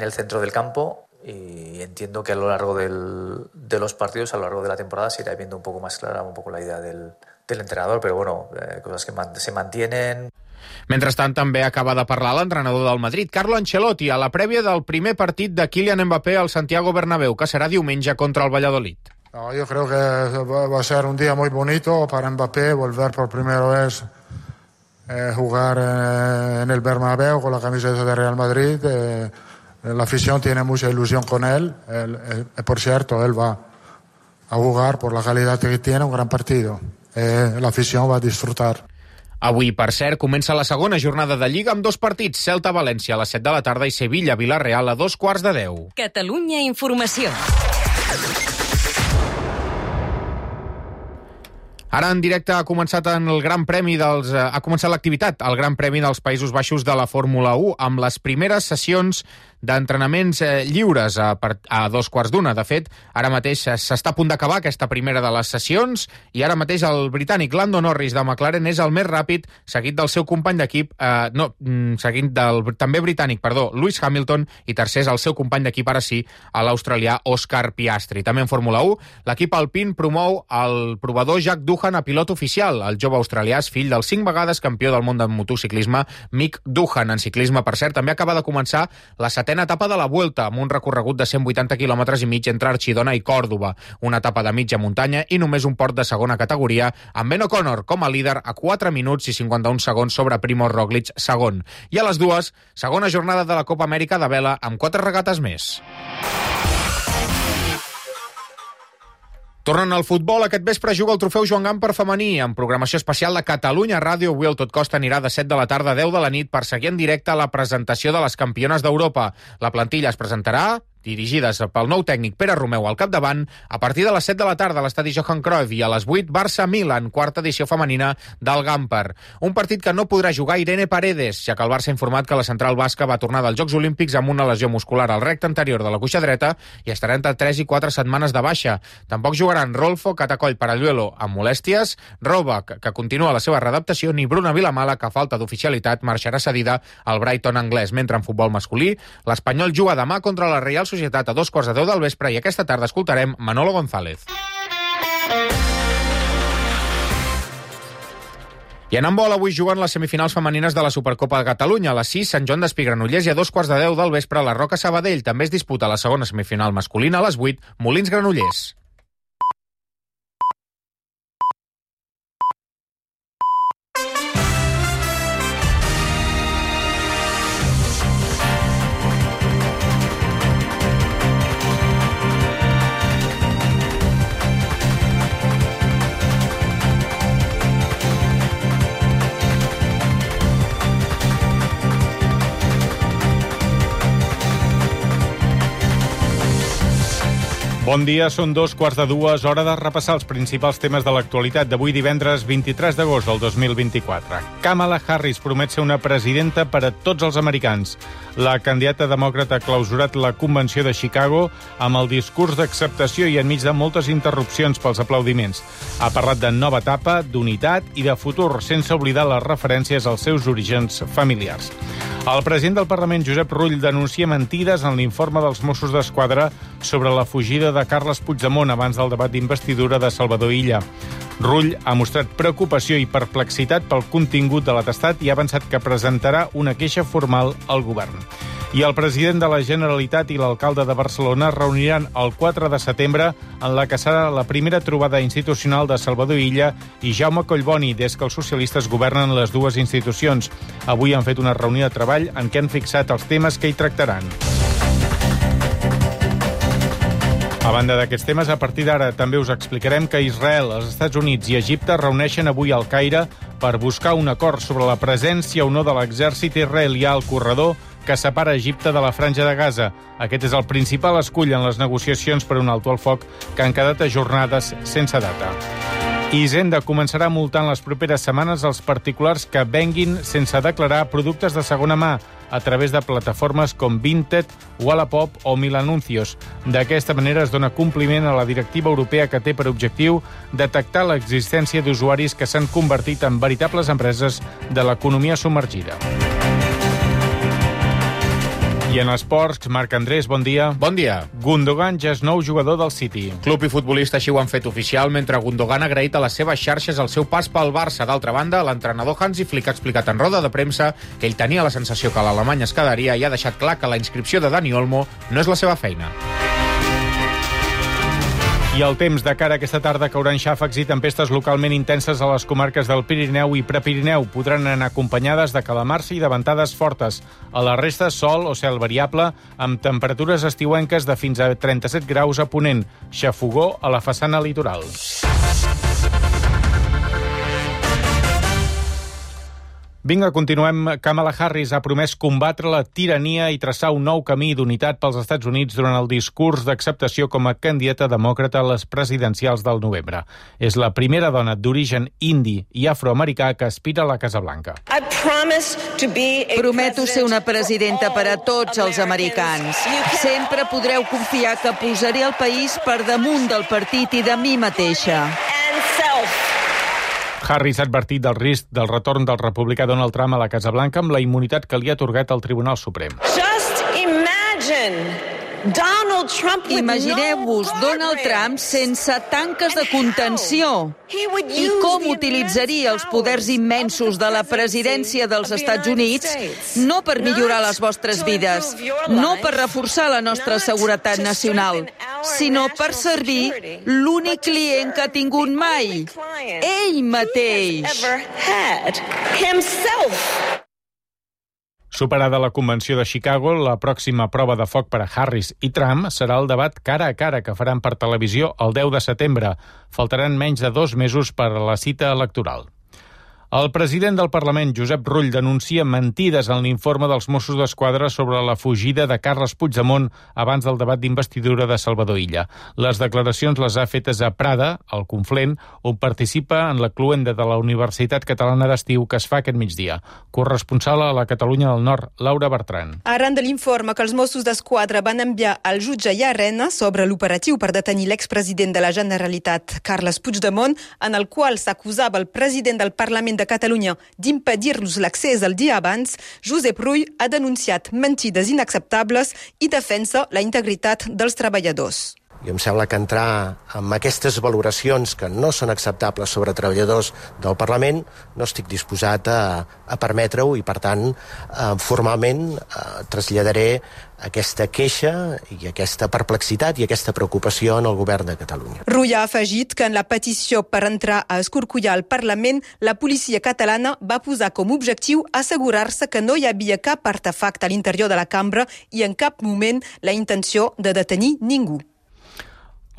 el centro del campo, y entiendo que a lo largo de los partidos, a lo largo de la temporada, se irá viendo un poco más clara un poco la idea del entrenador, pero bueno, cosas que se mantienen. Mentrestant, també acaba de parlar l'entrenador del Madrid, Carlo Ancelotti, a la prèvia del primer partit de Kylian Mbappé al Santiago Bernabéu, que serà diumenge contra el Valladolid. No, yo creo que va a ser un día muy bonito para Mbappé volver por primera vez jugar en el Bernabéu con la camiseta de Real Madrid. La afición tiene mucha ilusión con él. Por cierto, él va a jugar por la calidad que tiene un gran partido. La afición va a disfrutar. Avui, per cert, comença la segona jornada de Lliga amb dos partits, Celta-València a les 7 de la tarda i Sevilla-Vilareal a 2:15. Catalunya Informació. Ara en directe ha començat l'activitat al Gran Premi dels Països Baixos de la Fórmula 1 amb les primeres sessions d'entrenaments lliures a 2:15. De fet, ara mateix s'està a punt d'acabar aquesta primera de les sessions i ara mateix el britànic Lando Norris de McLaren és el més ràpid, seguit del seu company d'equip, seguint del també britànic, Lewis Hamilton, i tercer és el seu company d'equip, ara sí, l'australià Oscar Piastri. També en Fórmula 1, l'equip alpin promou el provador Jack Doohan a pilot oficial. El jove australià és fill del 5 vegades campió del món del motociclisme Mick Doohan. En ciclisme, per cert, també acaba de començar la setena etapa de la Vuelta, amb un recorregut de 180 km i mig entre Archidona i Còrdova. Una etapa de mitja muntanya i només un port de segona categoria, amb Ben O'Connor com a líder a 4 minuts i 51 segons sobre Primož Roglič segon. I a les 2, segona jornada de la Copa Amèrica de vela amb 4 regates més. Tornant al futbol, aquest vespre juga el trofeu Joan Gamper femení, amb programació especial de Catalunya Ràdio. Avui el Tot Costa anirà de 7 de la tarda a 10 de la nit per seguir en directe la presentació de les campiones d'Europa. La plantilla es presentarà dirigides pel nou tècnic Pere Romeu al capdavant, a partir de les 7 de la tarda a l'estadi Johan Cruyff i a les 8 Barça-Milan, quarta edició femenina del Gamper. Un partit que no podrà jugar Irene Paredes, ja que el Barça ha informat que la central basca va tornar dels Jocs Olímpics amb una lesió muscular al recte anterior de la cuixa dreta i estarà entre 3 i 4 setmanes de baixa. Tampoc jugaran Rolfo Catacoll Paralluelo amb molèsties, Roback, que continua la seva readaptació, ni Bruna Vilamala, que a falta d'oficialitat marxarà cedida al Brighton anglès. Mentre en futbol masculí, l'Espanyol juga demà contra la Real Societat a 2:15 del vespre i aquesta tarda escoltarem Manolo González. I en handbol avui juguen les semifinals femenines de la Supercopa de Catalunya. A les 6, Sant Joan d'Espí Granollers, i a 2:15 del vespre la Roca Sabadell. També es disputa la segona semifinal masculina a les 8, Molins Granollers. Bon dia, són 2:15, hora de repassar els principals temes de l'actualitat d'avui divendres 23 d'agost del 2024. Kamala Harris promet ser una presidenta per a tots els americans. La candidata demòcrata ha clausurat la Convenció de Chicago amb el discurs d'acceptació i enmig de moltes interrupcions pels aplaudiments. Ha parlat de nova etapa, d'unitat i de futur, sense oblidar les referències als seus orígens familiars. El president del Parlament, Josep Rull, denuncia mentides en l'informe dels Mossos d'Esquadra sobre la fugida de Carles Puigdemont abans del debat d'investidura de Salvador Illa. Rull ha mostrat preocupació i perplexitat pel contingut de l'atestat i ha avançat que presentarà una queixa formal al govern. I el president de la Generalitat i l'alcalde de Barcelona es reuniran el 4 de setembre en la que serà la primera trobada institucional de Salvador Illa i Jaume Collboni des que els socialistes governen les dues institucions. Avui han fet una reunió de treball en què han fixat els temes que hi tractaran. A banda d'aquests temes, a partir d'ara també us explicarem que Israel, els Estats Units i Egipte reuneixen avui al Caire per buscar un acord sobre la presència o no de l'exèrcit israelià al corredor que separa Egipte de la Franja de Gaza. Aquest és el principal escull en les negociacions per un alto al foc que han quedat ajornades sense data. Hisenda començarà multant les properes setmanes els particulars que venguin sense declarar productes de segona mà a través de plataformes com Vinted, Wallapop o Milanuncios. D'aquesta manera es dona compliment a la directiva europea que té per objectiu detectar l'existència d'usuaris que s'han convertit en veritables empreses de l'economia submergida. I en esports, Marc Andrés, bon dia. Bon dia. Gundogan ja és nou jugador del City. Club i futbolista així ho han fet oficial, mentre Gundogan ha agraït a les seves xarxes el seu pas pel Barça. D'altra banda, l'entrenador Hansi Flick ha explicat en roda de premsa que ell tenia la sensació que l'Alemany es quedaria i ha deixat clar que la inscripció de Dani Olmo no és la seva feina. I el temps de cara a aquesta tarda cauran xàfecs i tempestes localment intenses a les comarques del Pirineu i Prepirineu. Podran anar acompanyades de calamarsa i de ventades fortes. A la resta, sol o cel variable, amb temperatures estiuenques de fins a 37 graus a ponent. Xafogó a la façana litoral. Vinga, continuem. Kamala Harris ha promès combatre la tirania i traçar un nou camí d'unitat pels Estats Units durant el discurs d'acceptació com a candidata demòcrata a les presidencials del novembre. És la primera dona d'origen indi i afroamericà que aspira a la Casa Blanca. Prometo ser una presidenta per a tots els americans. Sempre podreu confiar que posaré el país per damunt del partit i de mi mateixa. Harris ha advertit del risc del retorn del republicà Donald Trump a la Casa Blanca amb la immunitat que li ha atorgat el Tribunal Suprem. Imagineu-vos Donald Trump sense tanques de contenció i com utilitzaria els poders immensos de la presidència dels Estats Units no per millorar les vostres vides, no per reforçar la nostra seguretat nacional, sinó per servir l'únic client que ha tingut mai, ell mateix. Superada la Convenció de Chicago, la pròxima prova de foc per a Harris i Trump serà el debat cara a cara que faran per televisió el 10 de setembre. Faltaran menys de 2 mesos per a la cita electoral. El president del Parlament, Josep Rull, denuncia mentides en l'informe dels Mossos d'Esquadra sobre la fugida de Carles Puigdemont abans del debat d'investidura de Salvador Illa. Les declaracions les ha fetes a Prada, al Conflent, on participa en la cluenda de la Universitat Catalana d'Estiu que es fa aquest migdia. Corresponsal a la Catalunya del Nord, Laura Bertran. Arran de l'informe que els Mossos d'Esquadra van enviar al jutge Llarena sobre l'operatiu per detenir l'expresident de la Generalitat, Carles Puigdemont, en el qual s'acusava el president del Parlament de Catalunya d'impedir-los l'accés el dia abans, Josep Rull ha denunciat mentides inacceptables i defensa la integritat dels treballadors. I em sembla que entrar en aquestes valoracions que no són acceptables sobre treballadors del Parlament no estic disposat a permetre-ho i, per tant, formalment traslladaré aquesta queixa i aquesta perplexitat i aquesta preocupació en el govern de Catalunya. Rull ha afegit que en la petició per entrar a escorcollar el Parlament, la policia catalana va posar com a objectiu assegurar-se que no hi havia cap artefacte a l'interior de la cambra i en cap moment la intenció de detenir ningú.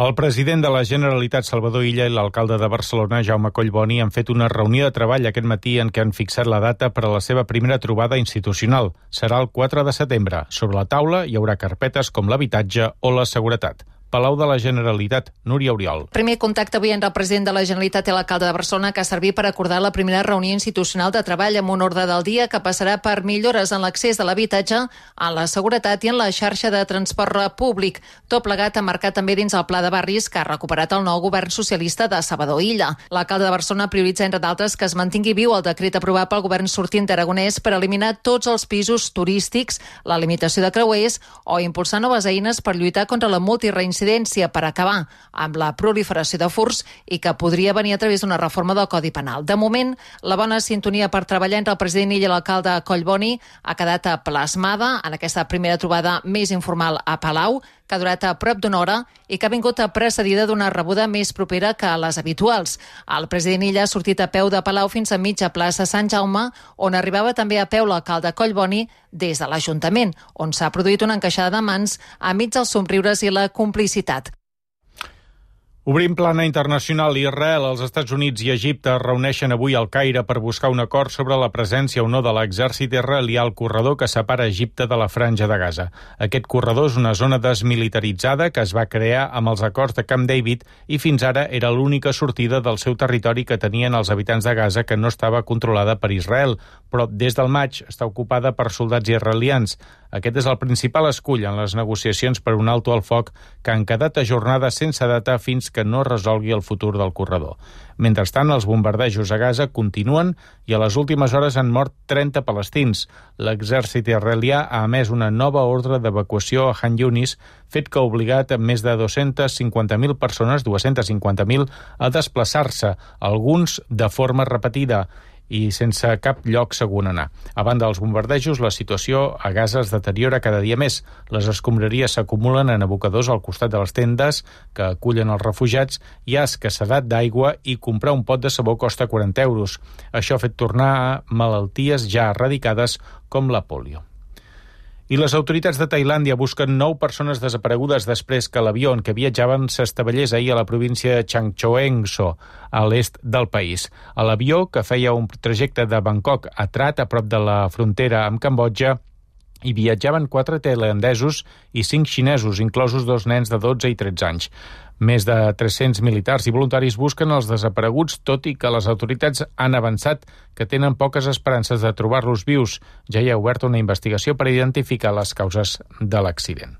El president de la Generalitat, Salvador Illa, i l'alcalde de Barcelona, Jaume Collboni, han fet una reunió de treball aquest matí en què han fixat la data per a la seva primera trobada institucional. Serà el 4 de setembre. Sobre la taula hi haurà carpetes com l'habitatge o la seguretat. Palau de la Generalitat, Núria Oriol. Primer contacte avui entre el president de la Generalitat i l'alcalde de Barcelona que ha servit per acordar la primera reunió institucional de treball amb un ordre del dia que passarà per millores en l'accés a l'habitatge, a la seguretat i en la xarxa de transport públic. Tot plegat ha marcat també dins el pla de barris que ha recuperat el nou govern socialista de Salvador Illa. L'alcalde de Barcelona prioritza, entre d'altres, que es mantingui viu el decret aprovat pel govern sortint d'Aragonès per eliminar tots els pisos turístics, la limitació de creuers o impulsar noves eines per lluitar contra la multireincidència per acabar amb la proliferació de furts i que podria venir a través d'una reforma del Codi Penal. De moment, la bona sintonia per treballar entre el president Illa i l'alcalde Collboni ha quedat plasmada en aquesta primera trobada més informal a Palau, que ha durat a prop d'una hora i que ha vingut precedida d'una rebuda més propera que les habituals. El president Illa ha sortit a peu de Palau fins a mitja plaça Sant Jaume, on arribava també a peu l'alcalde Collboni des de l'Ajuntament, on s'ha produït una encaixada de mans enmig dels somriures i la complicitat. Obrim plana internacional. Israel, els Estats Units i Egipte es reuneixen avui al Caire per buscar un acord sobre la presència o no de l'exèrcit israelià al corredor que separa Egipte de la Franja de Gaza. Aquest corredor és una zona desmilitaritzada que es va crear amb els acords de Camp David i fins ara era l'única sortida del seu territori que tenien els habitants de Gaza, que no estava controlada per Israel, però des del maig està ocupada per soldats israelians. Aquest és el principal escull en les negociacions per un alto al foc que han quedat ajornades sense data fins que no resolgui el futur del corredor. Mentrestant, els bombardejos a Gaza continuen i a les últimes hores han mort 30 palestins. L'exèrcit israelià ha emès una nova ordre d'evacuació a Han Yunis, fet que ha obligat més de 250.000 persones, 250.000, a desplaçar-se, alguns de forma repetida i sense cap lloc segur on anar. A banda dels bombardejos, la situació a Gaza es deteriora cada dia més. Les escombraries s'acumulen en abocadors al costat de les tendes que acullen els refugiats, hi ha escassedat d'aigua i comprar un pot de sabó costa 40 euros. Això ha fet tornar a malalties ja eradicades com la pòlio. I les autoritats de Tailàndia busquen 9 persones desaparegudes després que l'avió en què viatjaven s'estavellés ahir a la província de Changchoengso, a l'est del país. A l'avió, que feia un trajecte de Bangkok a Trat, a prop de la frontera amb Cambodja, hi viatjaven 4 tailandesos i 5 xinesos, inclosos 2 nens de 12 i 13 anys. Més de 300 militars i voluntaris busquen els desapareguts, tot i que les autoritats han avançat que tenen poques esperances de trobar-los vius. Ja hi ha obert una investigació per identificar les causes de l'accident.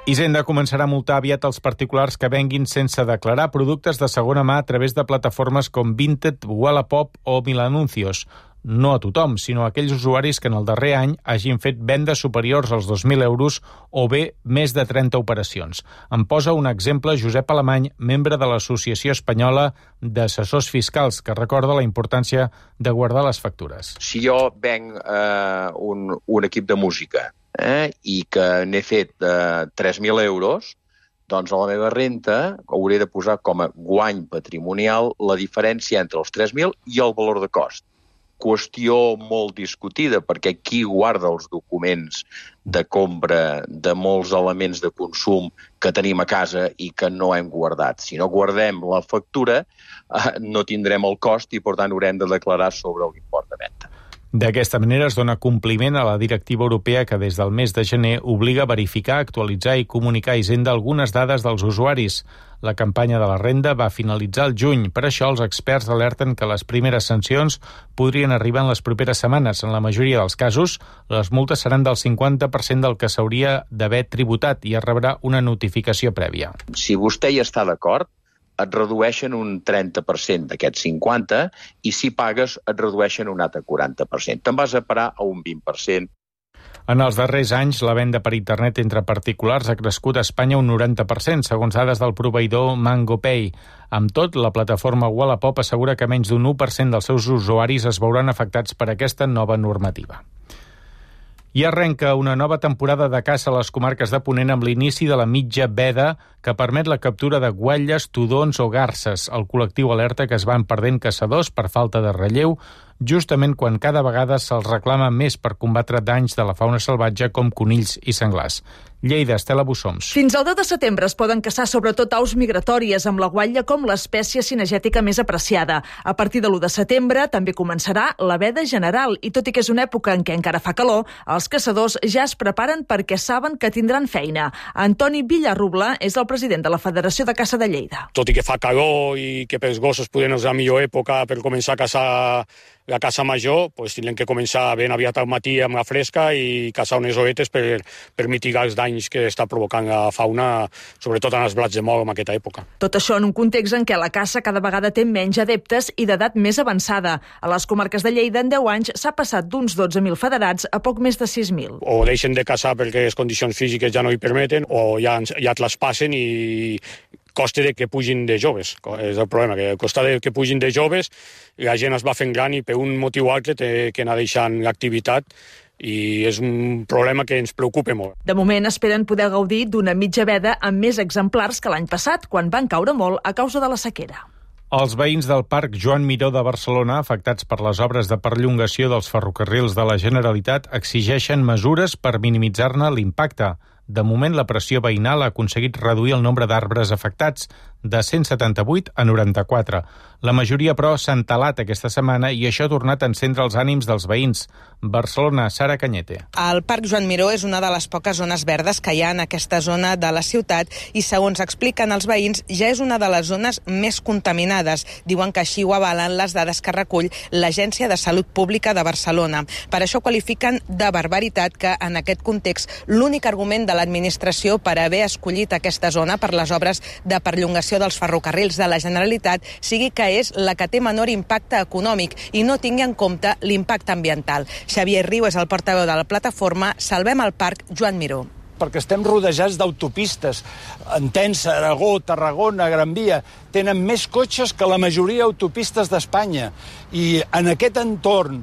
Hisenda començarà a multar aviat els particulars que venguin sense declarar productes de segona mà a través de plataformes com Vinted, Wallapop o Milanuncios. No a tothom, sinó a aquells usuaris que en el darrer any hagin fet vendes superiors als 2.000 euros o bé més de 30 operacions. En posa un exemple Josep Alemany, membre de l'Associació Espanyola d'Assessors Fiscals, que recorda la importància de guardar les factures. Si jo venc un equip de música i que n'he fet 3.000 euros, doncs a la meva renta hauré de posar com a guany patrimonial la diferència entre els 3.000 i el valor de cost. qüestió molt discutida, perquè qui guarda els documents de compra de molts elements de consum que tenim a casa i que no hem guardat. Si no guardem la factura, no tindrem el cost i, per tant, haurem de declarar sobre l'import de venda. D'aquesta manera es dona compliment a la directiva europea que des del mes de gener obliga a verificar, actualitzar i comunicar a Hisenda algunes dades dels usuaris. La campanya de la renda va finalitzar el juny. Per això els experts alerten que les primeres sancions podrien arribar en les properes setmanes. En la majoria dels casos, les multes seran del 50% del que s'hauria d'haver tributat i es rebrà una notificació prèvia. Si vostè hi està d'acord, et redueixen un 30% d'aquest 50% i si pagues et redueixen un altre 40%. Te'n vas a parar a un 20%. En els darrers anys, la venda per internet entre particulars ha crescut a Espanya un 90%, segons dades del proveïdor MangoPay. Amb tot, la plataforma Wallapop assegura que menys d'un 1% dels seus usuaris es veuran afectats per aquesta nova normativa. I arrenca una nova temporada de caça a les comarques de Ponent amb l'inici de la mitja veda que permet la captura de guatlles, tudons o garses. El col·lectiu alerta que es van perdent caçadors per falta de relleu, justament quan cada vegada se'ls reclama més per combatre danys de la fauna salvatge com conills i senglars. Lleida, Estela Bussoms. Fins al 10 de setembre es poden caçar sobretot aus migratòries, amb la guatlla com l'espècie cinegètica més apreciada. A partir de l'1 de setembre també començarà la veda general i tot i que és una època en què encara fa calor, els caçadors ja es preparen perquè saben que tindran feina. Antoni Villarrubla és el president de la Federació de Caça de Lleida. Tot i que fa calor i que pels gossos poden és la millor època per començar a caçar la caça major, doncs tindrem que començar ben aviat al matí amb la fresca i caçar unes oretes per mitigar els danys que està provocant la fauna, sobretot en els blats de mol en aquesta època. Tot això en un context en què la caça cada vegada té menys adeptes i d'edat més avançada. A les comarques de Lleida, en 10 anys, s'ha passat d'uns 12.000 federats a poc més de 6.000. O deixen de caçar perquè les condicions físiques ja no hi permeten, o ja traspassen i costa de que pugin de joves. És el problema, que costa de que pugin de joves, la gent es va fent gran i per un motiu o altre té que anar deixant l'activitat i és un problema que ens preocupa molt. De moment esperen poder gaudir d'una mitja veda amb més exemplars que l'any passat, quan van caure molt a causa de la sequera. Els veïns del Parc Joan Miró de Barcelona, afectats per les obres de perllongació dels ferrocarrils de la Generalitat, exigeixen mesures per minimitzar-ne l'impacte. De moment, la pressió veïnal ha aconseguit reduir el nombre d'arbres afectats de 178 a 94. La majoria, però, s'ha entalat aquesta setmana i això ha tornat a encendre els ànims dels veïns. Barcelona, Sara Cañete. El Parc Joan Miró és una de les poques zones verdes que hi ha en aquesta zona de la ciutat i, segons expliquen els veïns, ja és una de les zones més contaminades. Diuen que així ho avalen les dades que recull l'Agència de Salut Pública de Barcelona. Per això qualifiquen de barbaritat que, en aquest context, l'únic argument de l'administració per haver escollit aquesta zona per les obres de perllongació dels ferrocarrils de la Generalitat sigui que és la que té menor impacte econòmic i no tingui en compte l'impacte ambiental. Xavier Riu és el portaveu de la plataforma Salvem el Parc Joan Miró. Perquè estem rodejats d'autopistes. Entença, Aragó, Tarragona, Gran Via, tenen més cotxes que la majoria d'autopistes d'Espanya. I en aquest entorn,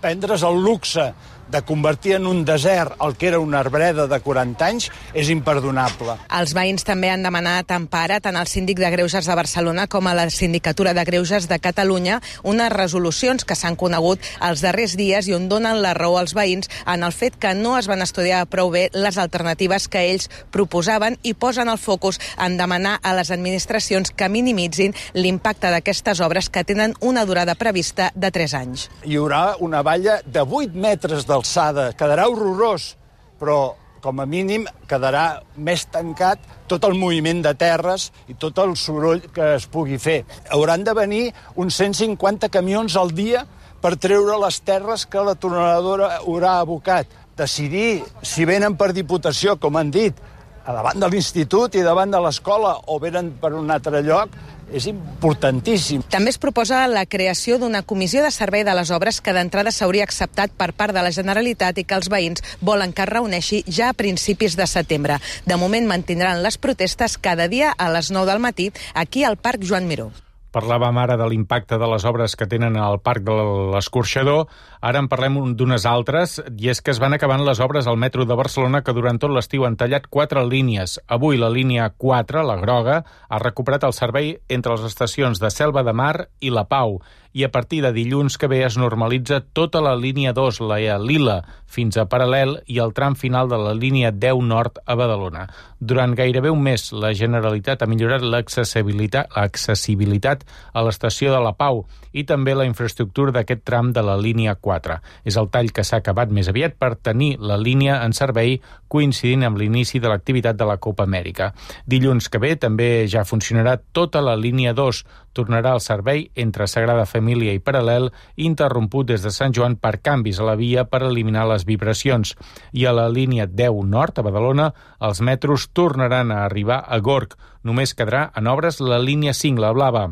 prendre's el luxe de convertir en un desert el que era una arbreda de 40 anys és imperdonable. Els veïns també han demanat empara tant al síndic de Greuges de Barcelona com a la Sindicatura de Greuges de Catalunya, unes resolucions que s'han conegut els darrers dies i on donen la raó als veïns en el fet que no es van estudiar prou bé les alternatives que ells proposaven i posen el focus en demanar a les administracions que minimitzin l'impacte d'aquestes obres que tenen una durada prevista de 3 anys. Hi haurà una valla de 8 metres d'alçada, quedarà horrorós, però com a mínim quedarà més tancat tot el moviment de terres i tot el soroll que es pugui fer. Hauran de venir uns 150 camions al dia per treure les terres que la tuneladora haurà abocat. Decidir si venen per Diputació, com han dit, a davant de l'institut i davant de l'escola o venen per un altre lloc, és importantíssim. També es proposa la creació d'una comissió de servei de les obres que d'entrada s'hauria acceptat per part de la Generalitat i que els veïns volen que es reuneixi ja a principis de setembre. De moment mantindran les protestes cada dia a les 9 del matí aquí al Parc Joan Miró. Parlàvem ara de l'impacte de les obres que tenen al Parc de l'Escorxador. Ara en parlem d'unes altres, i és que es van acabant les obres al metro de Barcelona que durant tot l'estiu han tallat 4 línies. Avui la línia 4, la groga, ha recuperat el servei entre les estacions de Selva de Mar i La Pau. i a partir de dilluns que ve es normalitza tota la línia 2, la Lila, fins a Paral·lel i el tram final de la línia 10 nord a Badalona. Durant gairebé un mes, la Generalitat ha millorat l'accessibilitat a l'estació de la Pau i també la infraestructura d'aquest tram de la línia 4. És el tall que s'ha acabat més aviat per tenir la línia en servei coincidint amb l'inici de l'activitat de la Copa Amèrica. Dilluns que ve també ja funcionarà tota la línia 2. Tornarà al servei entre Sagrada Família i Paral·lel, interromput des de Sant Joan per canvis a la via per eliminar les vibracions. I a la línia 10 nord, a Badalona, els metros tornaran a arribar a Gorg. Només quedarà en obres la línia 5, la blava.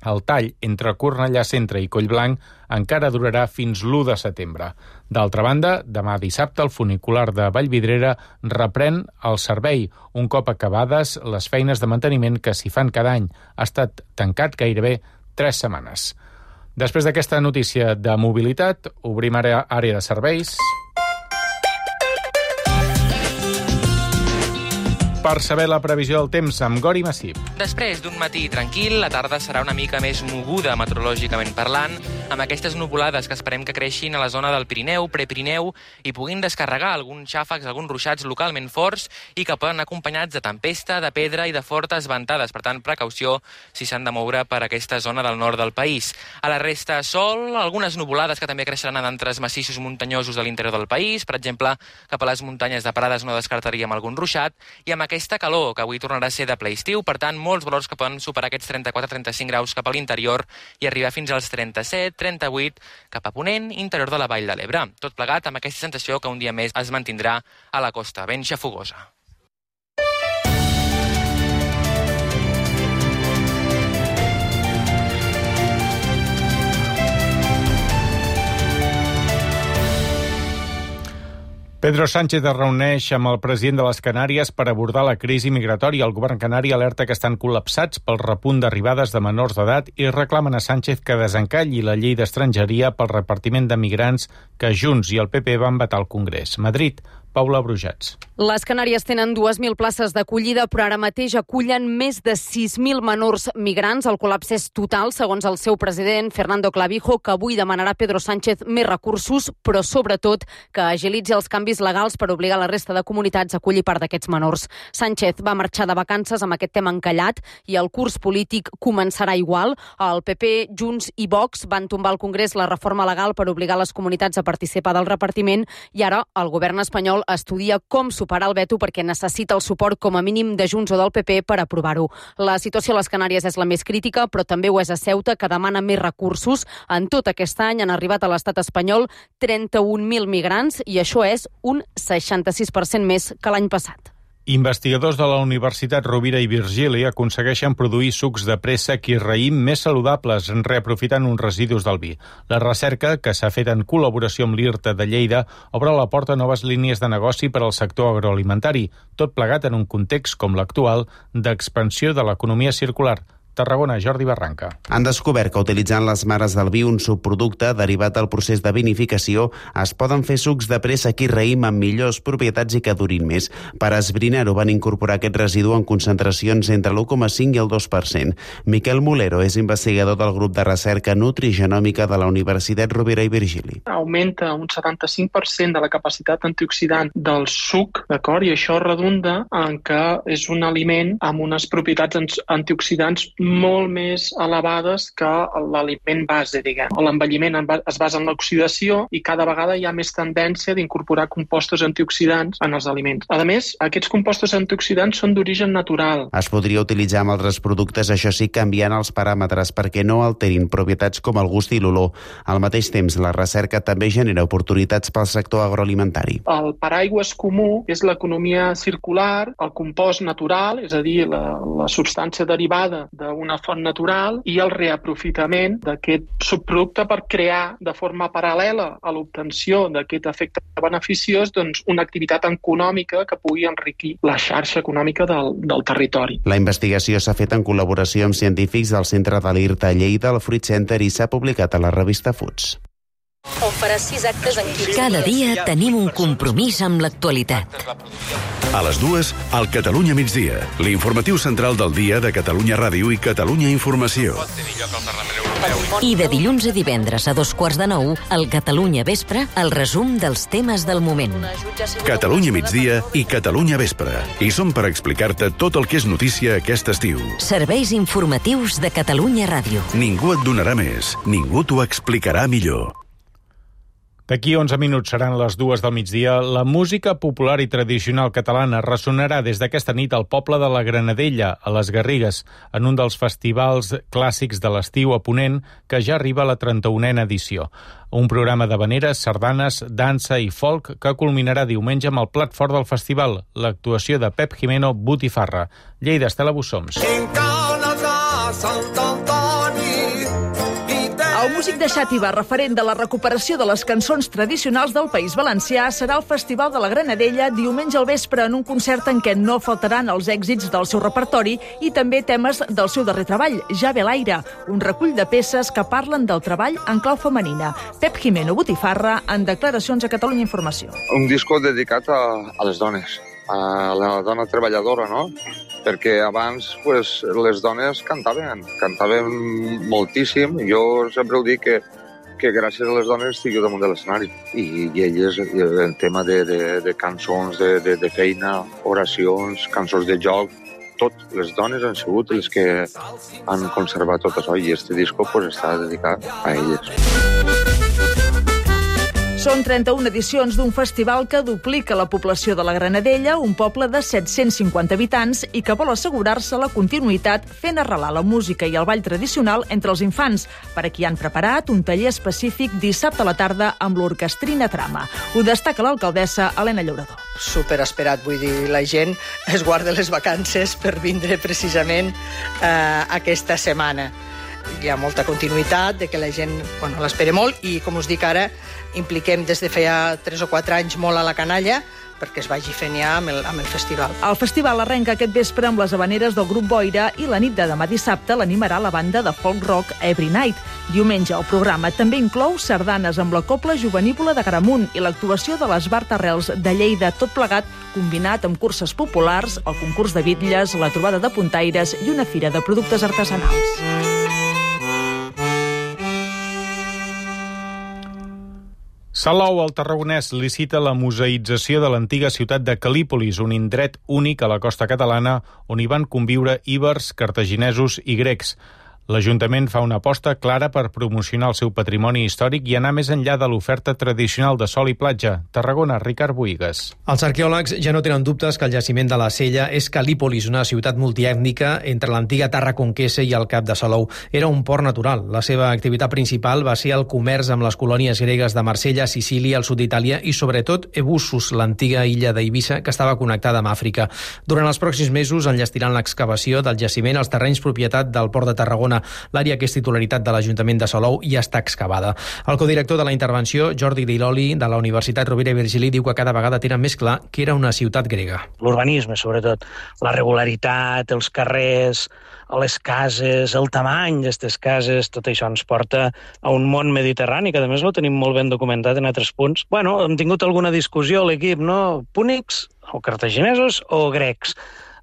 El tall entre Cornellà Centre i Collblanc encara durarà fins l'1 de setembre. D'altra banda, demà dissabte el funicular de Vallvidrera reprèn el servei, un cop acabades les feines de manteniment que s'hi fan cada any. Ha estat tancat gairebé 3 setmanes. Després d'aquesta notícia de mobilitat, obrim àrea de serveis. Per saber la previsió del temps amb Gori Massip. Després d'un matí tranquil, la tarda serà una mica més moguda meteorològicament parlant, amb aquestes nuvolades que esperem que creixin a la zona del Pirineu, Prepirineu, i puguin descarregar alguns xàfecs, alguns ruixats localment forts i que poden anar acompanyats de tempesta, de pedra i de fortes ventades. Per tant, precaució si s'han de moure per aquesta zona del nord del país. A la resta, sol, algunes nuvolades que també creixeran a d'altres massissos muntanyosos de l'interior del país. Per exemple, cap a les muntanyes de Prades no descartaríem algun ruixat, i amb aquesta calor, que avui tornarà a ser de ple estiu, per tant, molts valors que poden superar aquests 34-35 graus cap a l'interior i arribar fins als 37-38 cap a ponent, interior de la Vall de l'Ebre. Tot plegat amb aquesta sensació que un dia més es mantindrà a la costa, ben xafogosa. Pedro Sánchez es reuneix amb el president de les Canàries per abordar la crisi migratòria. El govern canari alerta que estan col·lapsats pel repunt d'arribades de menors d'edat i reclamen a Sánchez que desencalli la llei d'estrangeria pel repartiment de migrants que Junts i el PP van vetar al Congrés. Madrid, Paula Brujats. Les Canàries tenen 2.000 places d'acollida, però ara mateix acullen més de 6.000 menors migrants. El col·lapse és total, segons el seu president, Fernando Clavijo, que avui demanarà a Pedro Sánchez més recursos, però sobretot que agilitzi els canvis legals per obligar la resta de comunitats a acollir part d'aquests menors. Sánchez va marxar de vacances amb aquest tema encallat i el curs polític començarà igual. El PP, Junts i Vox van tombar al Congrés la reforma legal per obligar les comunitats a participar del repartiment i ara el govern espanyol estudia com superar el veto perquè necessita el suport com a mínim de Junts o del PP per aprovar-ho. La situació a les Canàries és la més crítica, però també ho és a Ceuta, que demana més recursos. En tot aquest any han arribat a l'estat espanyol 31.000 migrants i això és un 66% més que l'any passat. Investigadors de la Universitat Rovira i Virgili aconsegueixen produir sucs de préssec i raïm més saludables, reaprofitant uns residus del vi. La recerca, que s'ha fet en col·laboració amb l'IRTA de Lleida, obre la porta a noves línies de negoci per al sector agroalimentari, tot plegat en un context com l'actual d'expansió de l'economia circular. Tarragona, Jordi Barranca. Han descobert que utilitzant les mares del vi, un subproducte derivat del procés de vinificació, es poden fer sucs de préssec i raïm amb millors propietats i que durin més. Per esbrinar-ho van incorporar aquest residu en concentracions entre l'1,5 i el 2%. Miquel Molero és investigador del grup de recerca nutrigenòmica de la Universitat Rovira i Virgili. Augmenta un 75% de la capacitat antioxidant del suc, d'acord? I això redunda en que és un aliment amb unes propietats antioxidants molt més elevades que l'aliment base, diguem. L'envelliment es basa en l'oxidació i cada vegada hi ha més tendència d'incorporar compostos antioxidants en els aliments. A més, aquests compostos antioxidants són d'origen natural. Es podria utilitzar amb altres productes, això sí, canviant els paràmetres perquè no alterin propietats com el gust i l'olor. Al mateix temps, la recerca també genera oportunitats pel sector agroalimentari. El paraigües comú és l'economia circular, el compost natural, és a dir, la substància derivada d'una font natural i el reaprofitament d'aquest subproducte per crear de forma paral·lela a l'obtenció d'aquest efecte beneficiós una activitat econòmica que pugui enriquir la xarxa econòmica del territori. La investigació s'ha fet en col·laboració amb científics del Centre de l'IRTA a Lleida, al Fruit Center, i s'ha publicat a la revista Foods. On farà 6 actes en 15 dies. Cada dia tenim un compromís amb l'actualitat. A les 2, al Catalunya migdia, l'informatiu central del dia de Catalunya Ràdio i Catalunya Informació. I de dilluns a divendres a 8:45, al Catalunya Vespre, el resum dels temes del moment. Catalunya migdia i Catalunya Vespre. I som per explicar-te tot el que és notícia aquest estiu. Serveis informatius de Catalunya Ràdio. Ningú et donarà més, ningú t'ho explicarà millor. D'aquí 11 minuts seran les 2 del migdia. La música popular i tradicional catalana ressonarà des d'aquesta nit al poble de la Granadella, a les Garrigues, en un dels festivals clàssics de l'estiu a Ponent, que ja arriba a la 31a edició. Un programa d'havaneres, sardanes, dansa i folk que culminarà diumenge amb el plat fort del festival, l'actuació de Pep Jimeno Botifarra. Lleida, Estela Bussoms. El músic de Xàtiva, referent de la recuperació de les cançons tradicionals del País Valencià, serà al Festival de la Granadella diumenge al vespre en un concert en què no faltaran els èxits del seu repertori i també temes del seu darrer treball, Ja ve l'aire, un recull de peces que parlen del treball en clau femenina. Pep Jimeno Botifarra, en declaracions a Catalunya Informació. Un disco dedicat a les dones, a la dona treballadora, no? Perquè abans les dones cantaven moltíssim. Jo sempre ho dic que gràcies a les dones estic jo damunt de l'escenari. I elles, el tema de cançons, de feina, oracions, cançons de joc, tot, les dones han sigut les que han conservat tot això i este disco està dedicat a elles. Són 31 edicions d'un festival que duplica la població de la Granadella, un poble de 750 habitants i que vol assegurar-se la continuïtat fent arrelar la música i el ball tradicional entre els infants. Per a qui han preparat un taller específic dissabte a la tarda amb l'orquestrina Trama. Ho destaca l'alcaldessa Helena Llaurador. Superesperat, vull dir, la gent es guarda les vacances per vindre precisament aquesta setmana. Hi ha molta continuïtat, de que la gent l'espera molt i, com us dic ara, impliquem des de feia 3 o 4 anys molt a la canalla perquè es vagi fent ja amb el festival. El festival arrenca aquest vespre amb les havaneres del grup Boira i la nit de demà dissabte l'animarà la banda de folk rock Every Night. Diumenge el programa també inclou sardanes amb la Cobla Jovenívola de Gramunt i l'actuació de les Bart Arrels de Lleida, tot plegat combinat amb curses populars, el concurs de bitlles, la trobada de puntaires i una fira de productes artesanals. Salou, al Tarragonès, licita la museïtzació de l'antiga ciutat de Cal·lípolis, un indret únic a la costa catalana on hi van conviure íbers, cartaginesos i grecs. L'Ajuntament fa una aposta clara per promocionar el seu patrimoni històric i anar més enllà de l'oferta tradicional de sol i platja. Tarragona, Ricard Boïgues. Els arqueòlegs ja no tenen dubtes que el jaciment de la Sella és Cal·lípolis, una ciutat multiètnica entre l'antiga Tarraconquessa i el Cap de Salou. Era un port natural. La seva activitat principal va ser el comerç amb les colònies gregues de Marsella, Sicília, al sud d'Itàlia i, sobretot, Ebussus, l'antiga illa d'Eivissa, que estava connectada amb Àfrica. Durant els pròxims mesos enllestiran l'excavació del jaciment als terrenys propietat del Port de Tarragona. L'àrea que és titularitat de l'Ajuntament de Salou ja està excavada. El codirector de la intervenció, Jordi Diloli, de la Universitat Rovira i Virgili, diu que cada vegada tenen més clar que era una ciutat grega. L'urbanisme, sobretot. La regularitat, els carrers, les cases, el tamany d'aquestes cases, tot això ens porta a un món mediterrani, que a més ho tenim molt ben documentat en altres punts. Hem tingut alguna discussió a l'equip, no? Púnics, o cartaginesos, o grecs.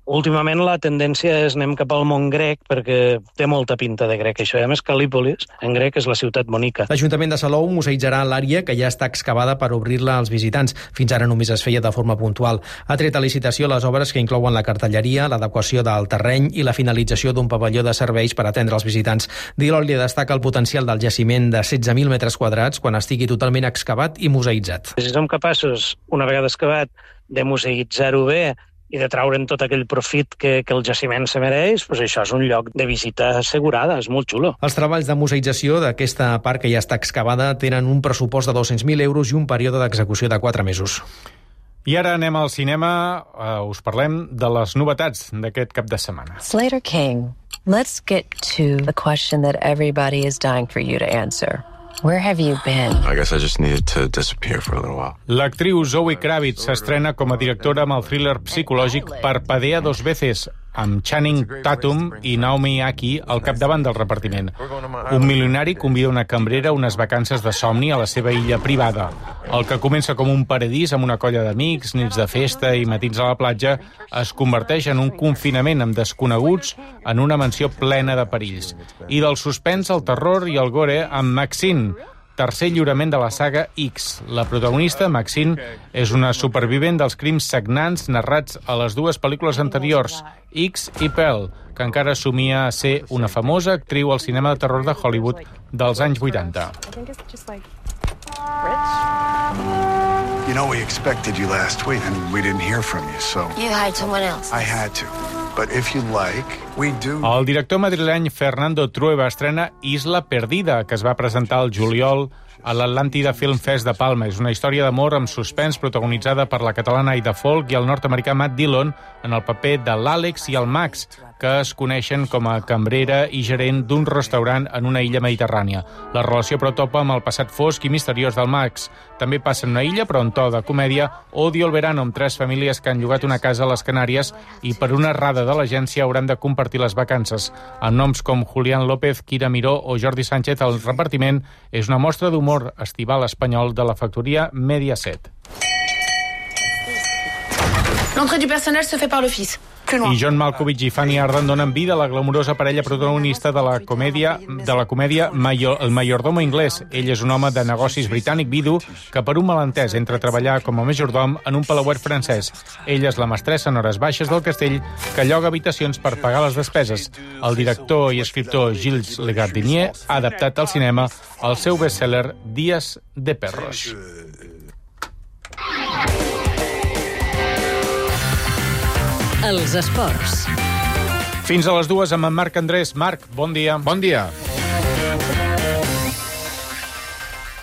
Últimament la tendència és anem cap al món grec perquè té molta pinta de grec, això. I a més, Cal·lípolis, en grec, és la ciutat bonica. L'Ajuntament de Salou museïtzarà l'àrea que ja està excavada per obrir-la als visitants. Fins ara només es feia de forma puntual. Ha tret a licitació les obres que inclouen la cartelleria, l'adequació del terreny i la finalització d'un pavelló de serveis per atendre els visitants. Diloli destaca el potencial del jaciment de 16.000 metres quadrats quan estigui totalment excavat i museïtzat. Si som capaços, una vegada excavat, de museïtzar-ho bé i de traure'n tot aquell profit que el jaciment se mereix, doncs això és un lloc de visita assegurada, és molt xulo. Els treballs de museïtzació d'aquesta part que ja està excavada tenen un pressupost de 200.000 euros i un període d'execució de 4 mesos. I ara anem al cinema, us parlem de les novetats d'aquest cap de setmana. Slater King, let's get to the question that everybody is dying for you to answer. Where have you been? I guess I just needed to disappear for a little while. L'actriu Zoe Kravitz s'estrena com a directora amb el thriller psicològic Parpadea dos veces, amb Channing Tatum i Naomi Aki al capdavant del repartiment. Un milionari convida una cambrera a unes vacances de somni a la seva illa privada. El que comença com un paradís amb una colla d'amics, nits de festa i matins a la platja, es converteix en un confinament amb desconeguts en una mansió plena de perills. I del suspens, el terror i el gore amb Maxine, tercer lliurament de la saga X. La protagonista, Maxine, és una supervivent dels crims sagnants narrats a les dues pel·lícules anteriors, X i Pearl, que encara somia a ser una famosa actriu al cinema de terror de Hollywood dels anys 80. You know, we expected you last week and we didn't hear from you, so... You hired someone else. I had to. But if you like, we do... El director madrileny Fernando Trueba estrena Isla Perdida, que es va presentar al juliol a l'Atlàntida Film Fest de Palma. És una història d'amor amb suspens protagonitzada per la catalana Aida Folk i el nord-americà Matt Dillon en el paper de l'Àlex i el Max, que es coneixen com a cambrera i gerent d'un restaurant en una illa mediterrània. La relació però topa amb el passat fosc i misteriós del Max. També passa en una illa, però en to de comèdia, Odio el verano, amb 3 famílies que han llogat una casa a les Canàries i per una errada de l'agència hauran de compartir les vacances. Amb noms com Julián López, Kira Miró o Jordi Sánchez, el repartiment és una mostra d'humor estival espanyol de la factoria Mediaset. L'entrée du personnel se fait par l'office. I John Malkovich i Fanny Ardant donen vida a la glamurosa parella protagonista de la comèdia El mayordomo inglès. Ell és un home de negocis britànic vidu que per un malentès entra a treballar com a majordom en un palauet francès. Ella és la mestressa en hores baixes del castell que lloga habitacions per pagar les despeses. El director i escriptor Gilles Legardinier ha adaptat al cinema el seu best-seller Días de perros. Els esports. Fins a les 2 amb en Marc Andrés. Marc, bon dia. Bon dia.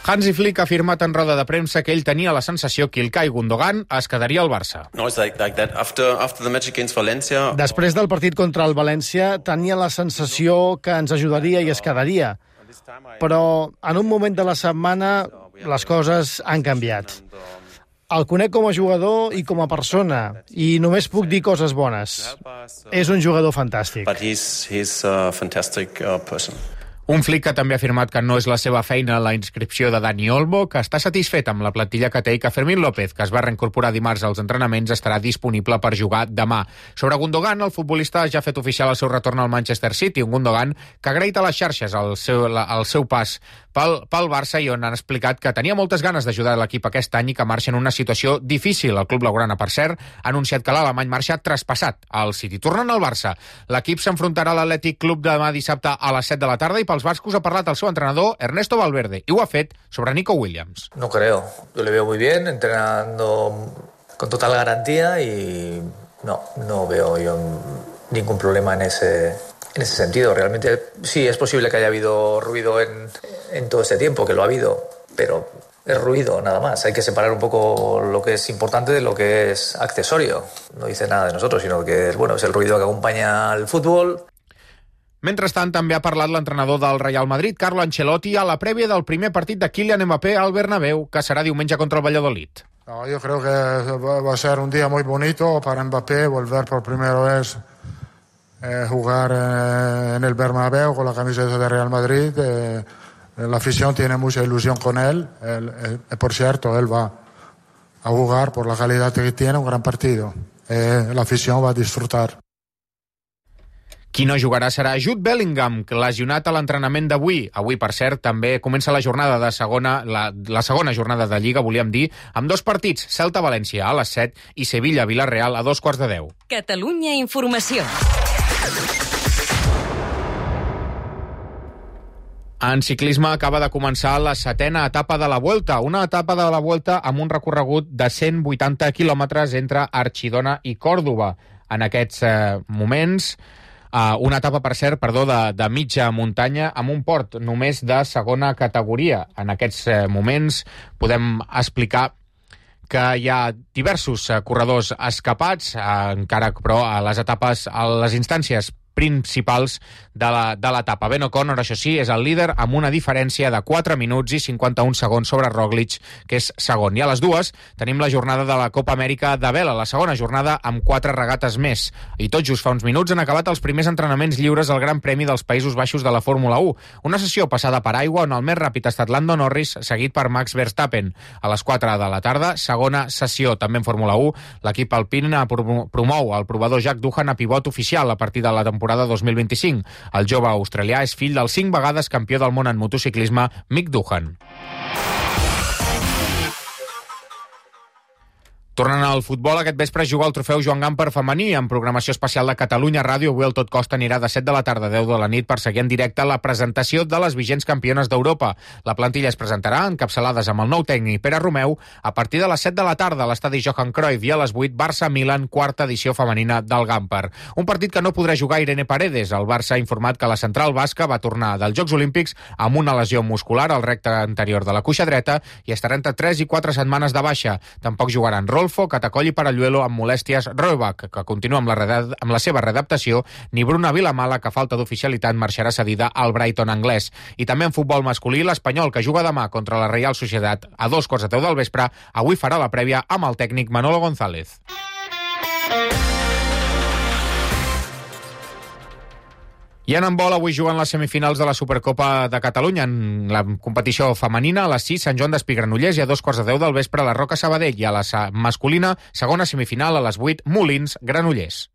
Hansi Flick ha afirmat en roda de premsa que ell tenia la sensació que Ilkay Gundogan es quedaria al Barça. Després del partit contra el València tenia la sensació que ens ajudaria i es quedaria. Però en un moment de la setmana les coses han canviat. El conec com a jugador i com a persona, i només puc dir coses bones. És un jugador fantàstic. Un Flick que també ha afirmat que no és la seva feina la inscripció de Dani Olmo, que està satisfet amb la plantilla que té i que Fermín López, que es va reincorporar dimarts als entrenaments, estarà disponible per jugar demà. Sobre Gundogan, el futbolista ja ha fet oficial el seu retorn al Manchester City, un Gundogan que ha agraït a les xarxes el seu pas pel Barça i on han explicat que tenia moltes ganes d'ajudar l'equip aquest any i que marxa en una situació difícil. El club blaugrana, per cert, ha anunciat que l'alemany marxa traspassat al City. Tornant al Barça, l'equip s'enfrontarà a l'Atlètic Club demà dissabte a les 7 de la tarda i pels bascos ha parlat el seu entrenador Ernesto Valverde i ho ha fet sobre Nico Williams. No creo, yo le veo muy bien, entrenando con total garantía y no veo yo ningún problema en ese sentido. Realmente sí, es posible que haya habido ruido en todo este tiempo, que lo ha habido, pero es ruido nada más. Hay que separar un poco lo que es importante de lo que es accesorio. No dice nada de nosotros, sino que es el ruido que acompaña al fútbol. Mentrestant, també ha parlat l'entrenador del Real Madrid, Carlo Ancelotti, a la prèvia del primer partit de Kylian Mbappé al Bernabéu, que serà diumenge contra el Valladolid. Yo creo que va a ser un día muy bonito para Mbappé volver por primera vez jugar en el Bernabéu con la camiseta de Real Madrid. La afición tiene mucha ilusión con él. Por cierto, él va a jugar por la calidad que tiene, un gran partido. La afición va a disfrutar. Qui no jugarà serà Jude Bellingham, lesionat a l'entrenament d'avui. Avui, per cert, també comença la jornada de la segona jornada de Lliga, volíem dir, amb 2 partits, Celta-València a les 7 i Sevilla-Vilareal a 2:15. Catalunya Informació. En ciclisme acaba de començar la 7a etapa de la Vuelta, una etapa de la Vuelta amb un recorregut de 180 quilòmetres entre Archidona i Còrdova. En aquests moments, una etapa, per cert, de mitja muntanya amb un port només de segona categoria. En aquests moments podem explicar que hi ha diversos corredors escapats, encara però a les etapes, a les instàncies principals de l'etapa. Ben O'Connor, això sí, és el líder amb una diferència de 4 minuts i 51 segons sobre Roglic, que és segon. I a les 2 tenim la jornada de la Copa Amèrica de vela, la segona jornada amb 4 regates més. I tot just fa uns minuts han acabat els primers entrenaments lliures al Gran Premi dels Països Baixos de la Fórmula 1. Una sessió passada per aigua on el més ràpid ha estat Lando Norris, seguit per Max Verstappen. A les 4 de la tarda, segona sessió. També en Fórmula 1, l'equip Alpine promou el provador Jack Doohan a pivot oficial a partir de la temporada 2025. El jove australià és fill del 5 vegades campió del món en motociclisme, Mick Doohan. Tornant al futbol, aquest vespre es juga el trofeu Joan Gamper femení en programació especial de Catalunya Ràdio. Avui el Tot Costa anirà de 7 de la tarda a 10 de la nit per seguir en directe la presentació de les vigents campiones d'Europa. La plantilla es presentarà encapçalades amb el nou tècnic Pere Romeu a partir de les 7 de la tarda a l'estadi Johan Cruyff i a les 8 Barça-Milan, quarta edició femenina del Gamper. Un partit que no podrà jugar Irene Paredes. El Barça ha informat que la central basca va tornar dels Jocs Olímpics amb una lesió muscular al recte anterior de la cuixa dreta i estarà entre 3 i 4 setmanes de baixa. Tampoc jugaran Rolfo, Catacoll i Paralluelo amb molèsties, Roebach, que continua amb la seva readaptació, ni Bruna Vilamala, que falta d'oficialitat marxarà cedida al Brighton anglès. I també en futbol masculí, l'Espanyol, que juga demà contra la Real Societat a 2:15 del vespre, avui farà la prèvia amb el tècnic Manolo González. I en handbol, avui juguen les semifinals de la Supercopa de Catalunya. En la competició femenina, a les 6, Sant Joan d'Espí Granollers, i a 2:10 del vespre, la Roca Sabadell. I a la masculina, segona semifinal, a les 8, Molins Granollers.